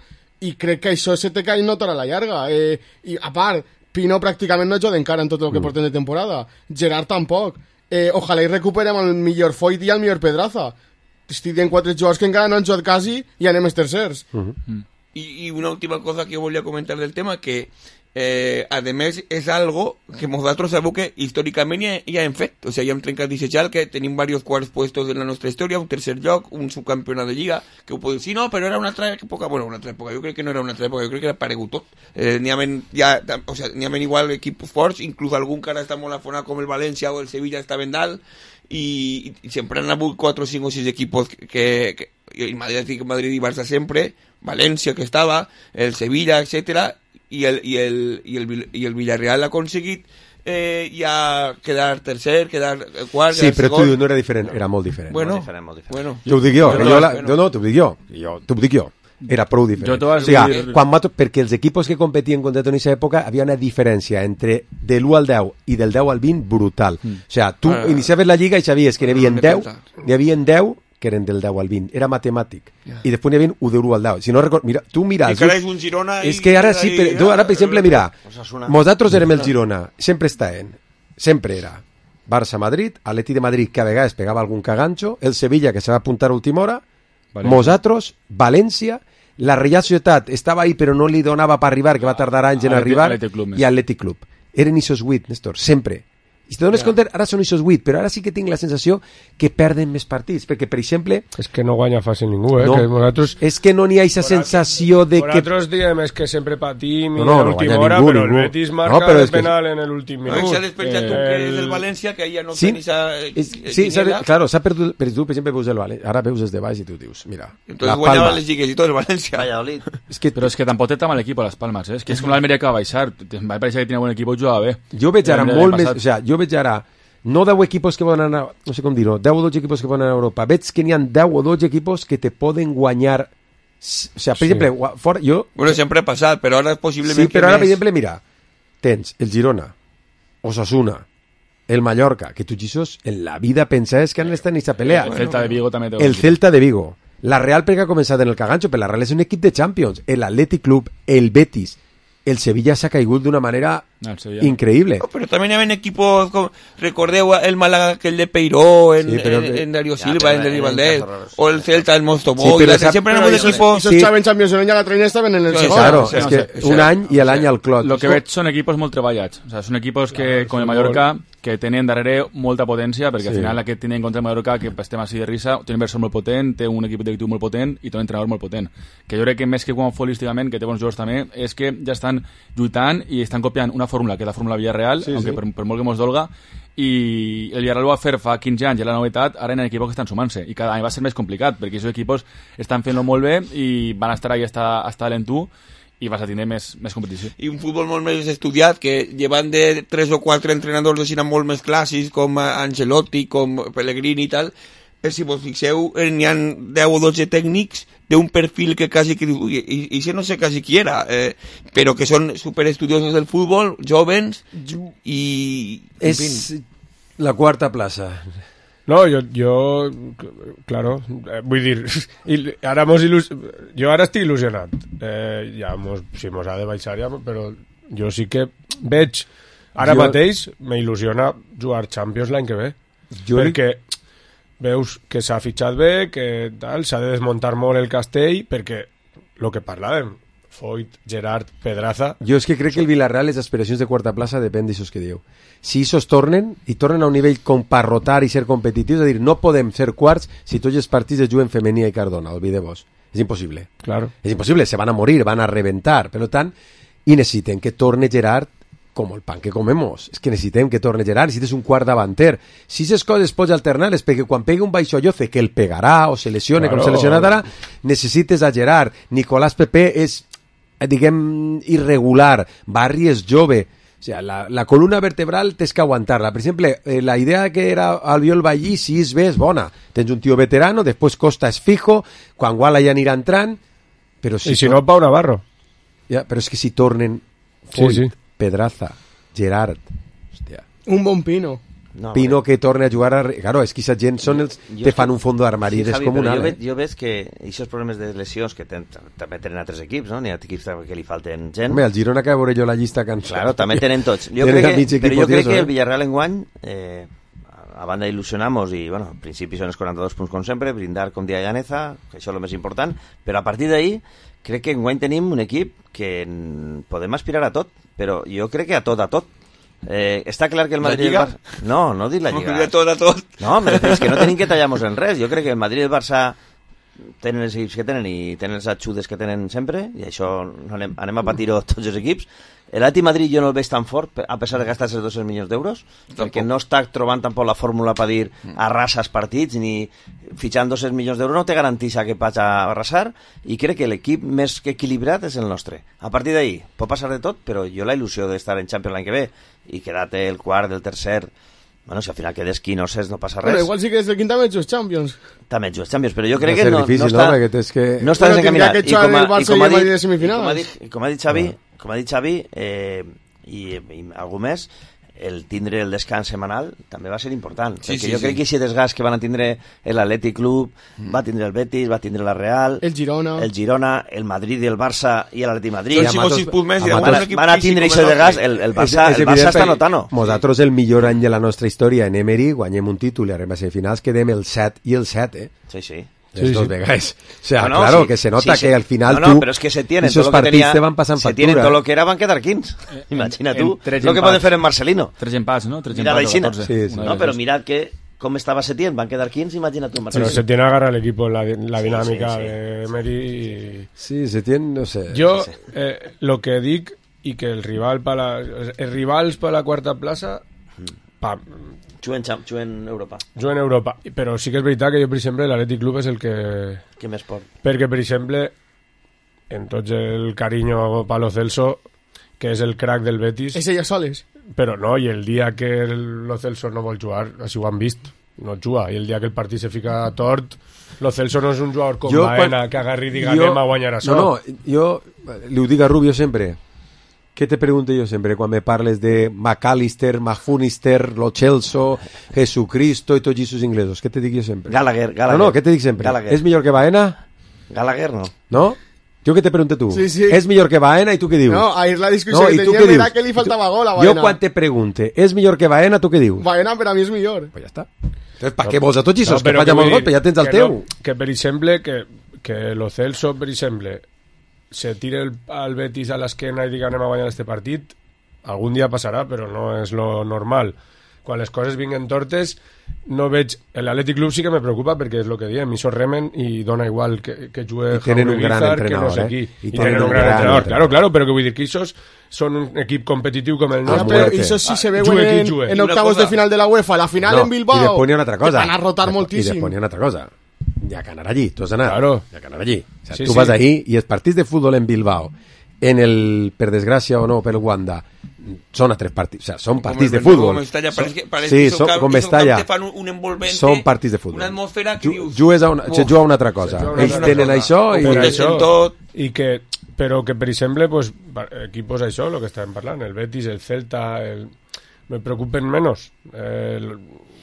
i crec que això se te cai nota a la llarga. Eh, I a part, Pino pràcticament no juga encara en tot el que mm. porten de temporada. Gerard tampoc. Eh, ojalà i recuperem el millor Foyt i el millor Pedraza. Estic dient quatre jugadors que encara no han jugat quasi i anem els tercers. Mm-hmm. Mm. I, I una última cosa que volia comentar del tema, que eh, a més és algo que nosaltres sabeu que històricament ja, ja hem fet. O sigui, ja hem trencat dissetjal que tenim diversos quarts puestos en la nostra història, un tercer lloc, un subcampionat de Lliga, que ho podeu dir, sí, no, però era una altra època. Bueno, una altra època, jo crec que no era una altra època, jo crec que era paregut tot. Eh, n'hi ha ja, o sigui, n'hi ha igual equips forts, inclús algun que ara està molt afonat com el València o el Sevilla està ben dalt, i, i sempre han hagut quatre o cinc o sis equipos que, que, que el Madrid, Madrid i Barça sempre, València que estava, el Sevilla, etcètera, i el, i el, i el, i el Villarreal ha aconseguit eh, ja quedar tercer, quedar quart, sí, quedar però segon. Tu no era diferent, era molt diferent. Bueno, molt diferent, molt diferent. Bueno. T'ho dic jo, Bueno, jo la, bueno. no, no, t'ho dic jo, jo t'ho dic jo. Era prou diferent. Jo t'ho vas o sigui, dir... quan mato, perquè els equipos que competien contra tu en aquesta època havia una diferència entre de l'u al deu i del deu al vint brutal. Mm. O sigui, tu Ah. iniciaves la lliga i sabies que n'hi havia No, no deu, m'he n'hi havia deu que eren del deu al vint, era matemàtic. Ja. I després n'hi havia u de l'u al deu. Si no record, mira, tu mira... I que ara és un Girona és i- que ara sí, i- per, tu ara per exemple, mira, Osasuna. nosaltres érem el Girona, sempre estaven, sempre era Barça-Madrid, Atlètic de Madrid que a vegades pegava algun cagancho, el Sevilla que se va apuntar a última hora, València. nosaltres, València, la Real Societat estava ahí però no li donava per arribar, que va tardar anys en Atlètic- arribar, Atlètic Club més. i Atlètic Club. Eren ixos vuit, Néstor, sempre. I si te dones Ja. compte, ara són ixos vuit, però ara sí que tinc la sensació que perden més partits, perquè, per exemple... És que no guanya fàcil ningú, eh? No, que nosaltres... és que no n'hi ha aquesta sensació de que... Nosaltres diem és que sempre patim i No, no, a no l'última guanya hora, ningú, però ningú. el Betis No, marca però el és que- penal en l'últim No, minut. i s'ha despenjat tu que és el El- València, que ja no Sí, tenis esa, és, sí, s'ha, claro, s'ha perdut, per tu, per exemple, veus el València, ara veus des de baix i tu dius, mira, Entonces la guanyava Palma, les lligues i tot el València. Valladolid. és que Però és que tampoc té tan mal equip a les Palmes, eh? És que és com l'Almeria que va baixar. Em va parecer que tenia bon equip i jugava bé. jo veig ara L'Almeria molt l'any més, passat. o sea, jo veig ara no deu equipos que poden anar, no sé com dir-ho, deu o dotze equipos que poden anar a Europa, veig que n'hi ha deu o dotze equipos que te poden guanyar, s- o sea, per Sí. exemple, gua- fora, jo, Bueno, sempre ha passat, però ara possiblement sí, que però ara, més... per exemple, mira, tens el Girona, Osasuna, el Mallorca, que tu, Jesús, en la vida pensaves que han estat en aquesta pelea. El Celta de Vigo també té un El equip. Celta de Vigo. La Real perquè ha començat en el cagancho, però la Real és un equip de Champions. El Athletic Club, el Betis. el Sevilla s'ha caigut d'una manera no, increïble. No, pero también habían equipos, como, recordeu el Málaga, que el de Peiró, en, sí, en, en Darío ya, Silva, en Denis Valdés, o el Celta, el Monstruo sí, pero esa, siempre éramos de equipos... Esos Xavi en Champions en ya la traían estaban en el sí, segundo. Claro, es que un any i l'any al Clot. Lo que veig són equipos molt treballats. O sea, són equipos que, com el Mallorca, que tenen darrere molta potència, perquè sí. Al final aquest tenen contra el Mallorca, que estem així de risa, té un inversor molt potent, té un equip directiu molt potent i té un entrenador molt potent. Que jo crec que més que quan futbolísticament, que té bons jugadors també, és que ja estan lluitant i estan copiant una fórmula, que és la fórmula Villarreal, sí, aunque sí. Per, per molt que mos dolga, i el Villarreal ho va fer fa quinze anys, i la novetat, ara hi ha equipos que estan sumant-se, i cada any va ser més complicat, perquè aquests equipos estan fent-lo molt bé i van estar ahí hasta, hasta l'entú, i vas a tindre més, més competició. I un futbol molt més estudiat, que llevan de tres o quatre entrenadors de cine molt més clàssics, com Ancelotti, com Pellegrini i tal, però si vos fixeu, n'hi ha deu o dotze tècnics d'un perfil que quasi, que, i, i si no sé quasi qui era, eh, però que són superestudiosos del futbol, jóvens, i... És fin. La quarta plaça. No, jo, jo claro, eh, vull dir, il, ara mos il·lus... jo ara estic il·lusionat, eh, ja mos, si mos ha de baixar ja, però jo sí que veig, ara jo... mateix m'il·lusiona jugar Champions l'any que ve, jo... perquè veus que s'ha fitxat bé, que tal, s'ha de desmuntar molt el castell, perquè el que parlàvem, Foyt, Gerard, Pedraza... Jo és que crec que el Villarreal, les aspiracions de quarta plaça depèn d'això que diu. Si ells tornen, i tornen a un nivell com per rotar i ser competitius, és a dir, no podem ser quarts si tots els partits es juguen Femení i Cardona, olvideu-vos. És impossible. Claro. És impossible, se van a morir, van a reventar. Per tant, i necessitem que torne Gerard com el pan que comemos. És que necessitem que torne Gerard, necessites un quart davanter. Si aquestes coses pots alternar-les, perquè quan pegui un baixolloce, que el pegarà o se lesione, claro, com se lesionat ara, necessites a Gerard. Nicolás Pepe és, diguem, irregular. Barri és jove. O sigui, la, la columna vertebral tens que aguantar-la. Per exemple, eh, la idea que era Albiol Ballí, si és bé, és bona. Tens un tio veterano, després Costa és fijo, quan Guala ja anirà entrant, però si... I si no, Pau Navarro. Ja, però és que si tornen Foyt, sí, sí. Pedraza, Gerard... Hòstia. Un bon Pino. No, Pino que torna a jugar a... Claro, és que aquesta gent són els que fan un fons d'armari sí, descomunal. Jo, ve, jo veig que aquests problemes de lesions que ten, també tenen altres equips, no? N'hi ha equips que li falten gent. Home, el Girona que veuré jo la llista cansada. Claro, també tenen tots. Jo crec que, però jo crec que el Villarreal enguany, eh, a banda il·lusionamos i, bueno, al principi són els quaranta-dos punts com sempre, brindar com dia Llaneza, que això és el més important, però a partir d'ahí crec que enguany tenim un equip que podem aspirar a tot, però jo crec que a tot, a tot. Eh, està clar que el Madrid... La Lliga? El Barça... No, no dic la Lliga. No, de tot a tot. No, és que no tenim que tallar-nos en res. Jo crec que el Madrid i el Barça tenen els equips que tenen i tenen els ajudes que tenen sempre, i això anem, anem a patir-ho tots els equips. L'Atleti Madrid jo no el veig tan fort, a pesar de gastar-se dos cents milions d'euros, perquè no està trobant tampoc la fórmula per dir arrasa els partits, ni fitxant dos cents milions d'euros no te garanteix que vaig a arrasar, i crec que l'equip més que equilibrat és el nostre. A partir d'ahí pot passar de tot, però jo la il·lusió d'estar en Champions l'any que ve i quedar-te el quart, el tercer... Bueno, si al final quedes quinoses no passa res. Bueno, igual sí que des del quinta també ets Champions. També ets Champions, però jo crec que no, difícil, no està... No, perquè que... no està desencaminat. I com, a, i, com, a dit, i, com, ha dit, com ha dit Xavi, com ha dit Xavi eh, i, i algú més, el tindre el descans setmanal també va ser important, sí, perquè sí, jo sí. crec que aquest desgast que van a tindre l'Atlètic Club, mm. va tindre el Betis, va tindre la Real, el Girona, el Girona, el Madrid i el Barça i l'Atlètic Madrid. Tots Matos, sis punts més, van, a, van a tindre aquest desgast, el, el Barça, és, és el Barça està notant-ho. Nosaltres el millor any de la nostra història en Emery, guanyem un títol i arribem a semifinals, quedem el set i el set, eh? Sí, sí. Sí, dos sí. vegades. O sea, no, no, claro, sí, que se nota sí, que al final no, no, tú... pero es que se tienen esos todo lo que partidos tenía, te van pasando se factura. tienen todo lo que era, van a quedar quince. Imagina en, tú en lo que pueden hacer en Marcelino. Tres empats, ¿no? Tres Mira empats o catorze. Sí, sí. No, pero mirad que cómo estaba Setién, van a quedar quince, imagina tú en Marcelino. Pero Setién agarra el equipo, la, la dinámica sí, sí, sí. de Emery y... Sí, Setién, no sé. Yo, no sé. Eh, lo que dic, y que el rival para la, el rivals para la cuarta plaça, pa, Juguen, juguen Europa. Juguen Europa. Però sí que és veritat que jo, per exemple, l'Atlètic Club és el que... Què més pot? Perquè, per exemple, en tots el carinyo Palo Celso, que és el crack del Betis... És ella soles. Però no, i el dia que el Lo Celso no vol jugar, així ho han vist, no juga. I el dia que el partit se fica tort, Lo Celso no és un jugador com jo, Baena, quan... que agarri i diga jo... anem a guanyar això. No, no, jo li ho dic a Rubio sempre. ¿Qué te pregunto yo siempre cuando me parles de McAllister, Mahunister, Lo Celso, Jesucristo y todos esos ingleses? ¿Qué te digo yo siempre? Gallagher, Gallagher. No, no, ¿qué te digo siempre? Gallagher. ¿Es mejor que Baena? Gallagher no. ¿No? Jo que te pregunto tu, Sí, sí. és millor que Baena i tu què dius? No, ahir la discussió No, que i tu teníem què era dius? que li faltava gol a Jo Baena. quan te pregunte, és millor que Baena, tu què dius? Baena per a mi és millor. Pues ja està. Entonces, ¿para qué vos a tots i sos que però falla molt vull gol, dir però ja tens el que teu? no- que, per exemple, que, que lo Celso, per exemple, se tire el, al Betis a l'esquena i diga anem a guanyar este partit, algun dia passarà, però no és lo normal. Quan les coses vinguen tortes, no veig... L'Atlètic Club sí que me preocupa perquè és el que diem, això remen i dona igual que, que jugui I tenen un gran Bizar, que entrenador, no sé eh? qui. I I, tenen tenen un un gran, gran entrenador, entrenador. claro, claro, però que vull dir que ells són un equip competitiu com el Ja, nostre. però això sí se veuen Jugue qui en, jugue. en octavos de final de la UEFA, la final No, en Bilbao. I després n'hi ha una altra cosa. Van a rotar I moltíssim. després n'hi ha una altra cosa. Hi ha que anar allí, tu has d'anar. Claro. Hi ha que anar allí. O sea, Sí, tu sí. vas ahí i els partits de futbol en Bilbao, en el, per desgràcia o no, per el Wanda, són a tres partits, o sea, són partits de Bernabéu, futbol. com Mestalla, Són- parece que- parece sí, que esos són, camp- com esos Mestalla. camps te fan un- un envolvente, Són partits de futbol. una atmosfera que Ju- dius, Jugues a una, "Uf". se juga a una altra cosa. Se juga a una Ells altra tenen cosa. això i... Per Competeixen això, tot. i que, però que per exemple pues, pa- equipos això, el que estàvem parlant, el Betis, el Celta, el, me preocupen menys. El,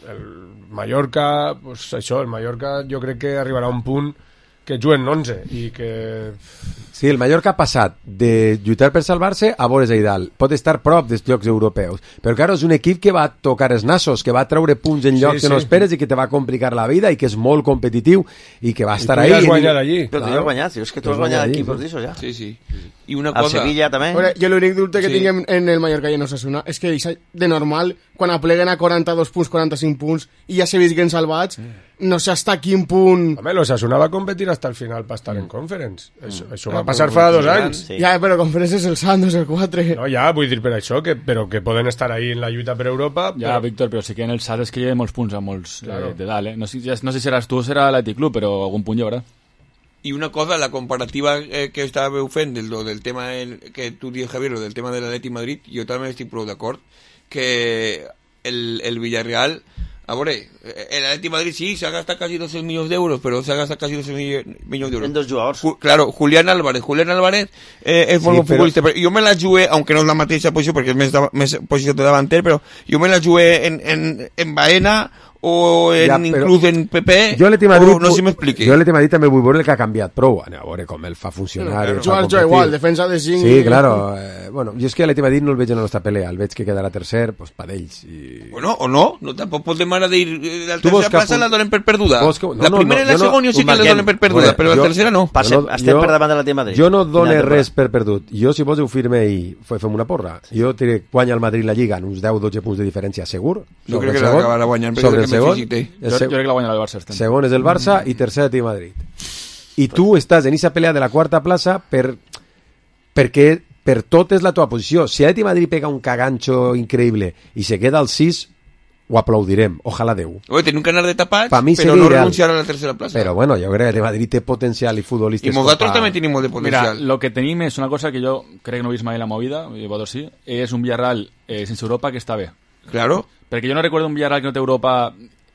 el Mallorca, pues això, el Mallorca jo crec que arribarà a un punt que juguen onze i que... Sí, el Mallorca ha passat de lluitar per salvar-se a veure's ahí dalt. Pot estar prop dels llocs europeus. Però, claro, és un equip que va tocar els nassos, que va treure punts en llocs Sí, que no sí. esperes i que te va complicar la vida i que és molt competitiu i que va estar tu ahí. ja has guanyat allí. Però tu ja has guanyat, tio, és que tu has guanyat equipos d'això ja. Sí, sí. I una Al cosa... Sevilla també. Veure, jo l'únic dubte que Sí. tinc en, en el Mallorca i en Osasuna és que això, de normal, quan apleguen a quaranta-dos punts, quaranta-cinc punts i ja se visquen salvats, no sé hasta quin punt... Home, l'Osasuna va competir hasta el final per estar en Conference. Això, això Ah, va passar però- fa dos sí. anys. Sí. Ja, però Conference és el Santos, el quatre. No, ja, vull dir per això, que, però que poden estar ahí en la lluita per Europa. Ja, però... Víctor, però sí que en el S A T és que hi ha molts punts a molts Claro. eh, de dalt, eh? No sé, ja- no sé si seràs tu o serà l'Atlètic Club, però algun punt hi haurà. Y una cosa, la comparativa eh, que estava fent del, lo del tema el, que tu dius, Javier, lo del tema del Atleti Madrid, jo també estic prou d'acord que el, el Villarreal, a veure, el Atleti Madrid sí, se ha gastado casi doce millones de euros, pero se ha gastado casi doce millones de euros. En dos jugadors. Ju- claro, Julián Álvarez. Julián Álvarez eh, és molt Sí, bon però- futbolista, però jo me la jugué, aunque no és la mateixa posició, perquè és més, de, més posició de davanter, però jo me la jugué en, en, en Baena o en, Ja, però- inclús en P P, Jo a l'Atleti Madrid, o no sé si m'expliqui. Jo a l'Atleti Madrid també vull veure el que ha canviat prou. A veure com el fa funcionar. Claro, el fa jugar jo competir. igual, defensa de cinc... Sí, claro. Eh, bueno, jo és que a l'Atleti Madrid no el veig en la nostra pelea. El veig que quedarà tercer, pues pa d'ells. I... Bueno, o no, no tampoc podem ara dir eh, la Tu vols tercera que plaça apunt- la donen per perduda. vols que- no, la no, primera no, i la jo no- segona jo sí un que la banquet. donen per perduda, Bueno, però la jo- tercera no. Passem, Jo no- estem jo- per davant de l'Atlètic Madrid. Jo no Final dono de res temporada. per perdut. Jo, si vols, ho firme i fe- fem una porra. Jo diré, guanya el Madrid la Lliga en uns deu dotze punts de diferència, segur. Jo sobre crec el que segon, l'acabarà guanyant, perquè sobre és el el que més segon. físic té. el Jo, seg- jo crec que la guanyarà el Barça. estem. Segon és el Barça i tercer Atlètic Madrid. I tu estàs en aquesta pelea de la quarta plaça per, perquè per tot és la teva posició. Si Atlètic Madrid pega un cagancho increïble i se queda al sis, ho aplaudirem. Ojalà Déu. Oye, tiene un canal de tapats, Pa mi però seria no ideal. renunciar a la tercera plaça. Però bueno, jo crec que el Madrid té potencial i futbolistes... I nosaltres com pa- també tenim molt de Mira, potencial. lo que tenim és una cosa que jo crec que no he vist mai en la movida, i vosaltres sí, és un Villarreal eh, sense Europa que està bé. Claro. Perquè jo no recordo un Villarreal que no té Europa...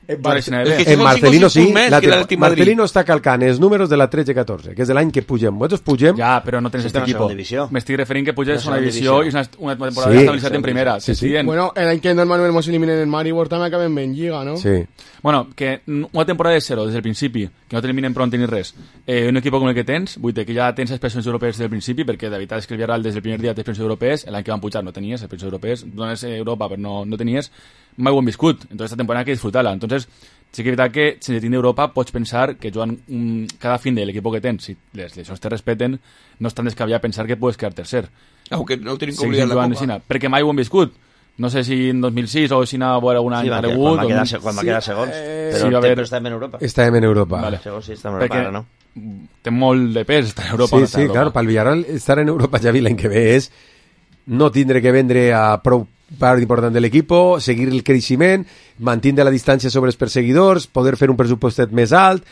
Bar- Bar és que En són Marcelino cinc o sis sí, punts més la que l'Atlètic te- Madrid. Marcelino està calcant els números de la tretze catorze, que és de l'any que pugem. Vosaltres pugem... Ja, però no tens Sí, este però equipo. segona divisió. M'estic referint que puges La una segona divisió divisió. i és una, una temporada Sí. d'estabilitat en primera. Sí, sí. T'estic dient. Bueno, el any que normalment mos eliminen en Maribor també acabem ben Lliga, no? Sí. Bueno, que una temporada de zero des del principi, que no t'eliminen prou ni res, eh, un equip com el que tens, vull dir que ja tens expressions europees des del principi, perquè de veritat és que el Villarreal des del primer dia té expressions europees, l'any que van pujar no tenies expressions europees, dones Europa però no, no tenies, mai ho hem viscut, entonces esta temporada hay que disfrutarla. Entonces, sí que és veritat que sense tindre Europa pots pensar que jugant un, cada fin de l'equip que tens, si les lesions te respeten, no és tan descabellat pensar que puedes quedar tercer. Aunque no tenim que Seguir oblidar la jugant Copa. aixina, perquè mai ho hem viscut. No sé si en dos mil sis o si anava a veure algun any Sí, va, aparegut. quan va o quedar, no- se- quan va Sí, quedar segons. eh, Però, sí, va té- haver- però estem en Europa. Estàvem en Europa. Vale. Segons sí, estem en Europa, Perquè ara no. té molt de pes estar a Europa. o Sí, no estar a sí, Europa. clar, pel Villarreal estar en Europa, Javi, l'any que ve és no tindre que vendre a prou part important de l'equip, seguir el creixement, mantindre la distància sobre els perseguidors, poder fer un pressupostet més alt,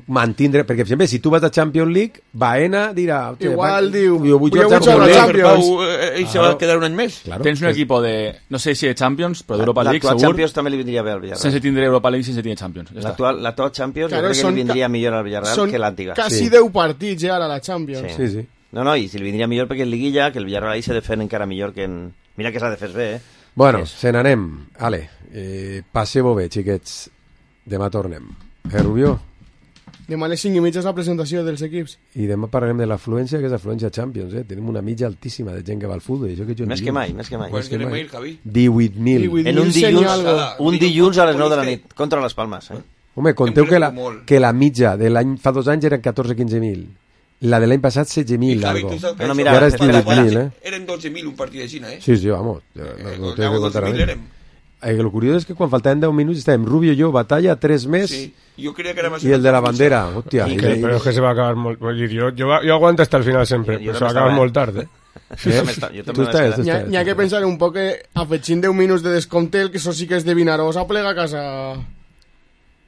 mantindre... Perquè, per exemple, si tu vas a Champions League, Baena dirà... "Hòstia, Igual va- diu, jo vull "Jo jugar vull jugar a Champions la League". Champions. Pau, eh, ell se va a quedar un any més. Claro. Tens un equip de, no sé si de Champions, però d'Europa League, L'actual segur, Champions també li vindria bé al Villarreal. sense tindre Europa League, sense tindre Champions. Ja està. L'actual l'actual Champions Claro, jo crec que són li vindria ca- millor al Villarreal Són que l'antiga. quasi Sí. deu partits ja ara la Champions. Sí, sí. No, no, i si li vindria millor perquè en Liguilla, que el Villarreal ahí se defen encara millor que en... Mira que s'ha de fer bé, eh? Bueno, És- se n'anem. Ale, eh, passeu-ho bé, xiquets. Demà tornem. Eh, Rubió? Demà a les cinc i mitja és la presentació dels equips. I demà parlarem de l'afluència, que és afluència Champions, eh? Tenim una mitja altíssima de gent que va al futbol. Això que jo més que mai, més que mai. Quan querem ir, Javi? divuit mil. En un dilluns, un dilluns a les nou de la nit, contra les Palmes. Eh? Home, conteu que la, que la mitja de l'any fa dos anys eren catorze quinze mil. La de l'any passat setze mil. I no, mira, ara és divuit mil, eh? Eren dotze mil un partit de Xina, eh? Sí, sí, vamos. No, eh, no deu, dotze mil érem. Eh, el curiós és que quan faltaven deu minuts estàvem Rubio i jo, batalla, tres més, sí. Jo creia que era más i el de la bandera, hòstia. Que, i, però és que se va acabar molt... Jo, jo, jo aguanto hasta el final sempre, però se va acabar molt tard, eh? Sí, jo també, jo també estàs, N'hi ha, ha que pensar un poc que afegint deu minuts de descompte, el que això sí que és de Vinaròs, plega a casa...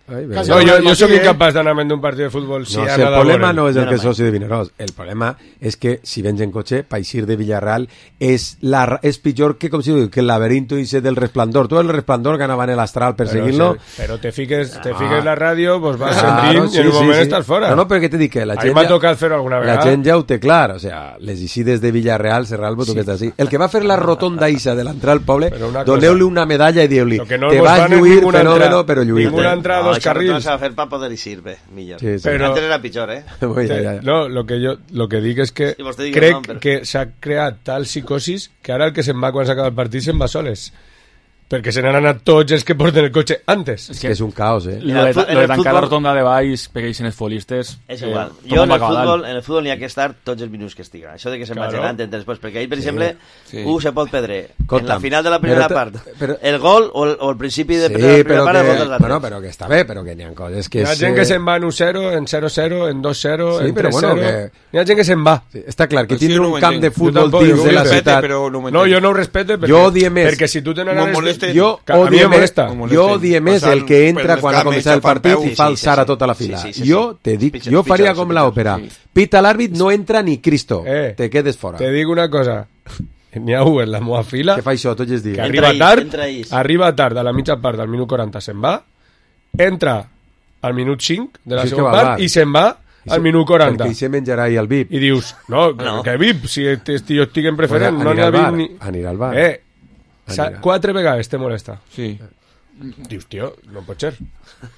Ai, no, jo, jo soc incapaç d'anar a un partit de futbol si no, si el problema no és el que és soci de Vinaròs, el problema és que si vens en cotxe per eixir de Villarreal és, la, és pitjor que com si diu, que el laberinto ese del Resplandor. Tu el Resplandor que anava en l'astral perseguint-lo, però, sí, però te fiques, te fiques ah. la ràdio, pues vas claro, sentint sí, i en un sí, moment sí. estàs fora. No, no, però que te dic que la gent, m'ha tocat fer-ho alguna vegada. La gent ja ho té clar, o sea, les eixides de Villarreal, Serralbo, tu sí. que estàs així. El que va fer la rotonda isa de l'entrar al poble, doneu-li una medalla i diu-li, no te vas lluir fenòmeno, però lluir. Ninguna entrada a dos carrils. para poder ir bé, millor. Sí, sí. Però, antes era pitjor, eh? Bueno, ja, ja. No, lo que jo lo que dic és que sí, crec no, però... que s'ha creat tal psicosis que ara el que se'n va quan s'acaba el partit se'n va soles. Perquè se n'han anat tots els que porten el cotxe antes. És que és un caos, eh? Lo de, lo de tancar futbol... la rotonda de baix perquè hi siguin els futbolistes... És igual. Eh, jo en el, futbol, en el futbol n'hi ha que estar tots els minuts que estiga. Això de que se'n claro. vagi anant entre després. Perquè ahir, per sí. exemple, sí. uh, se pot perdre en la final de la primera però, part però... el gol o el, o el principi de sí, la primera part que, el gol dels altres. Bueno, però que està bé, però que n'hi ha coses que... Hi ha gent que se'n va en u zero, en zero zero, en dos zero, sí, en tres zero... Bueno, que... N'hi ha gent que se'n va. Sí, està clar, que tindre un camp de futbol dins de la ciutat... No, jo no ho respecte perquè si tu tens... Jo jo odie més el que entra quan ha començat el partit i fa alçar a tota la fila. Jo te dic, jo faria com l'òpera. Pita l'àrbit, no entra ni Cristo. Te quedes fora. Te dic una cosa. N'hi ha un en la meva fila que fa això tots els dies. Que arriba tard, arriba tard a la mitja part del minut quaranta se'n va, entra al minut cinc de la segona part i se'n va al minut quaranta. Perquè hi se menjarà i el V I P. I dius, no, que V I P? Si jo estic en preferent, no n'hi ha V I P ni... Anirà al bar. Eh, quatre vegades te molesta. Sí. Dius, tio, no pot ser.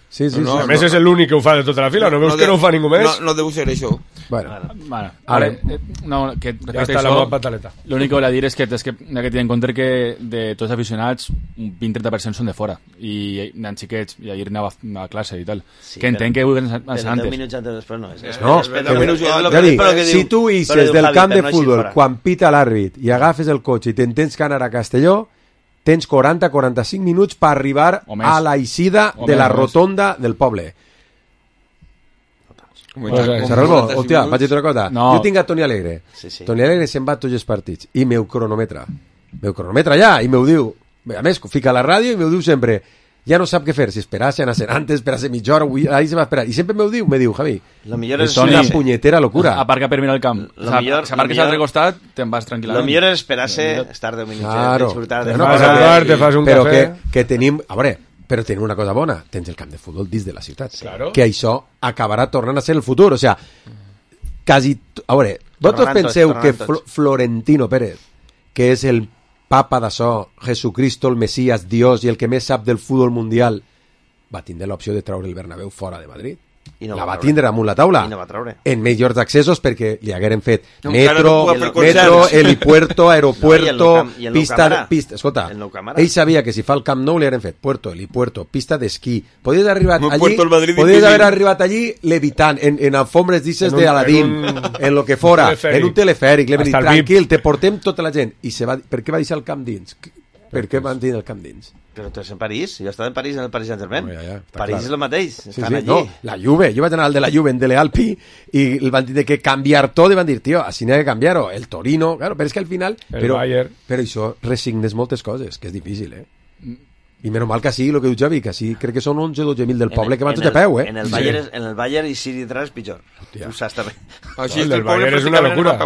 Sí, sí, no, sí. A més no, és l'únic que ho fa de tota la fila, no veus no, que no ho fa ningú més? No, no deu ser això. Bueno, bueno ara, eh, no, que ja està la meva pataleta. L'únic que volia dir és que és que hi ha que tenir en compte que de tots els aficionats un vint a trenta per cent són de fora i nen xiquets, i ahir anava a classe i tal, sí, que entenc que vulguin anar antes. Però deu minuts antes després no és. és no, és, però, minuts, ja dic, si tu ixes del camp de futbol quan pita l'àrbit i agafes el cotxe i t'entens que anar a Castelló, tens quaranta a quaranta-cinc minuts per arribar a la eixida de la rotonda del poble. Serralbo, hòstia, vaig dir una cosa. No. Jo tinc a Toni Alegre. Sí, sí. Toni Alegre se'n va a tots els partits i meu cronometra. Meu cronometra ja, i m'ho diu. A més, fica a la ràdio i m'ho diu sempre. Ja no sap què fer, si esperar-se, anar-se'n antes, esperar-se mitja hora, ahí se va esperar. I sempre m'ho diu, me diu, Javi, és una punyetera locura. Aparca per mirar el camp. O sea, si aparques a l'altre costat, te'n vas tranquil·lament. Lo millor és esperar-se, estar deu minuts, claro. disfrutar de... Te fas a bar, te fas un però cafè... Que, que tenim... A veure, però tenim una cosa bona, tens el camp de futbol dins de la ciutat. Claro. Que això acabarà tornant a ser el futur. O sea, quasi... A veure, vosaltres penseu que Fl Florentino Pérez, que és el papa d'això, Jesucristo, el Mesías, Dios i el que més sap del futbol mundial, va tindre l'opció de treure el Bernabéu fora de Madrid. I no la va, va tindre damunt la taula. I no va treure. En millors accessos perquè li hagueren fet no, metro, no metro, helipuerto, aeropuerto, no, i el pista, pista... Escolta, ell sabia que si fa el Camp Nou li hagueren fet puerto, helipuerto, pista d'esquí. Podies arribar no, allí, podies haver arribat allí levitant, en, en alfombres d'ixes d'Aladín, en, un... en lo que fora, en un telefèric, le va dir, tranquil, te portem tota la gent. I se va... Per què va deixar el camp dins? Per què van dir el camp dins? Però tu ets en París, jo estava en París en el Paris Saint-Germain. No, ja, ja, París clar. és el mateix, sí, estan sí, allí. No, la Juve, jo vaig anar al de la Juve en Dele Alpi i el van dir que canviar tot i van dir, tio, així n'ha que canviar-ho. El Torino, claro, però és que al final... El però, Bayern. Però això resignes moltes coses, que és difícil, eh? I menys mal que sí, el que diu Javi, que sí, crec que són onze o dotze mil del poble el, que van tot a peu, eh? En el Bayern, sí. en el Bayern i Siri detrás és pitjor. Hòstia. Ho saps també. Així el del Bayern és una locura.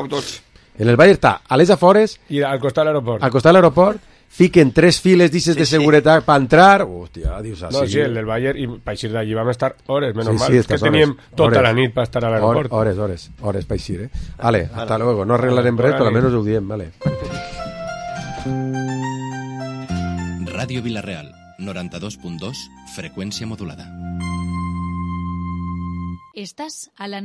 En el Bayern està a les afores... I al costat de l'aeroport. Al costat de l'aeroport, fiquen tres files d'ixes sí, de seguretat sí. per entrar. Hòstia, dius així. No, sí, el del Bayern, i per eixir d'allí vam estar hores, menys sí, mal, sí, que teníem hores, tota hores, la nit per estar a l'aeroport. Hores, hores, hores per eixir, eh? Vale, hasta luego. No arreglarem res, però almenys ho diem, vale. Ràdio Vilareal, noranta-dos punt dos, freqüència modulada. Estás a la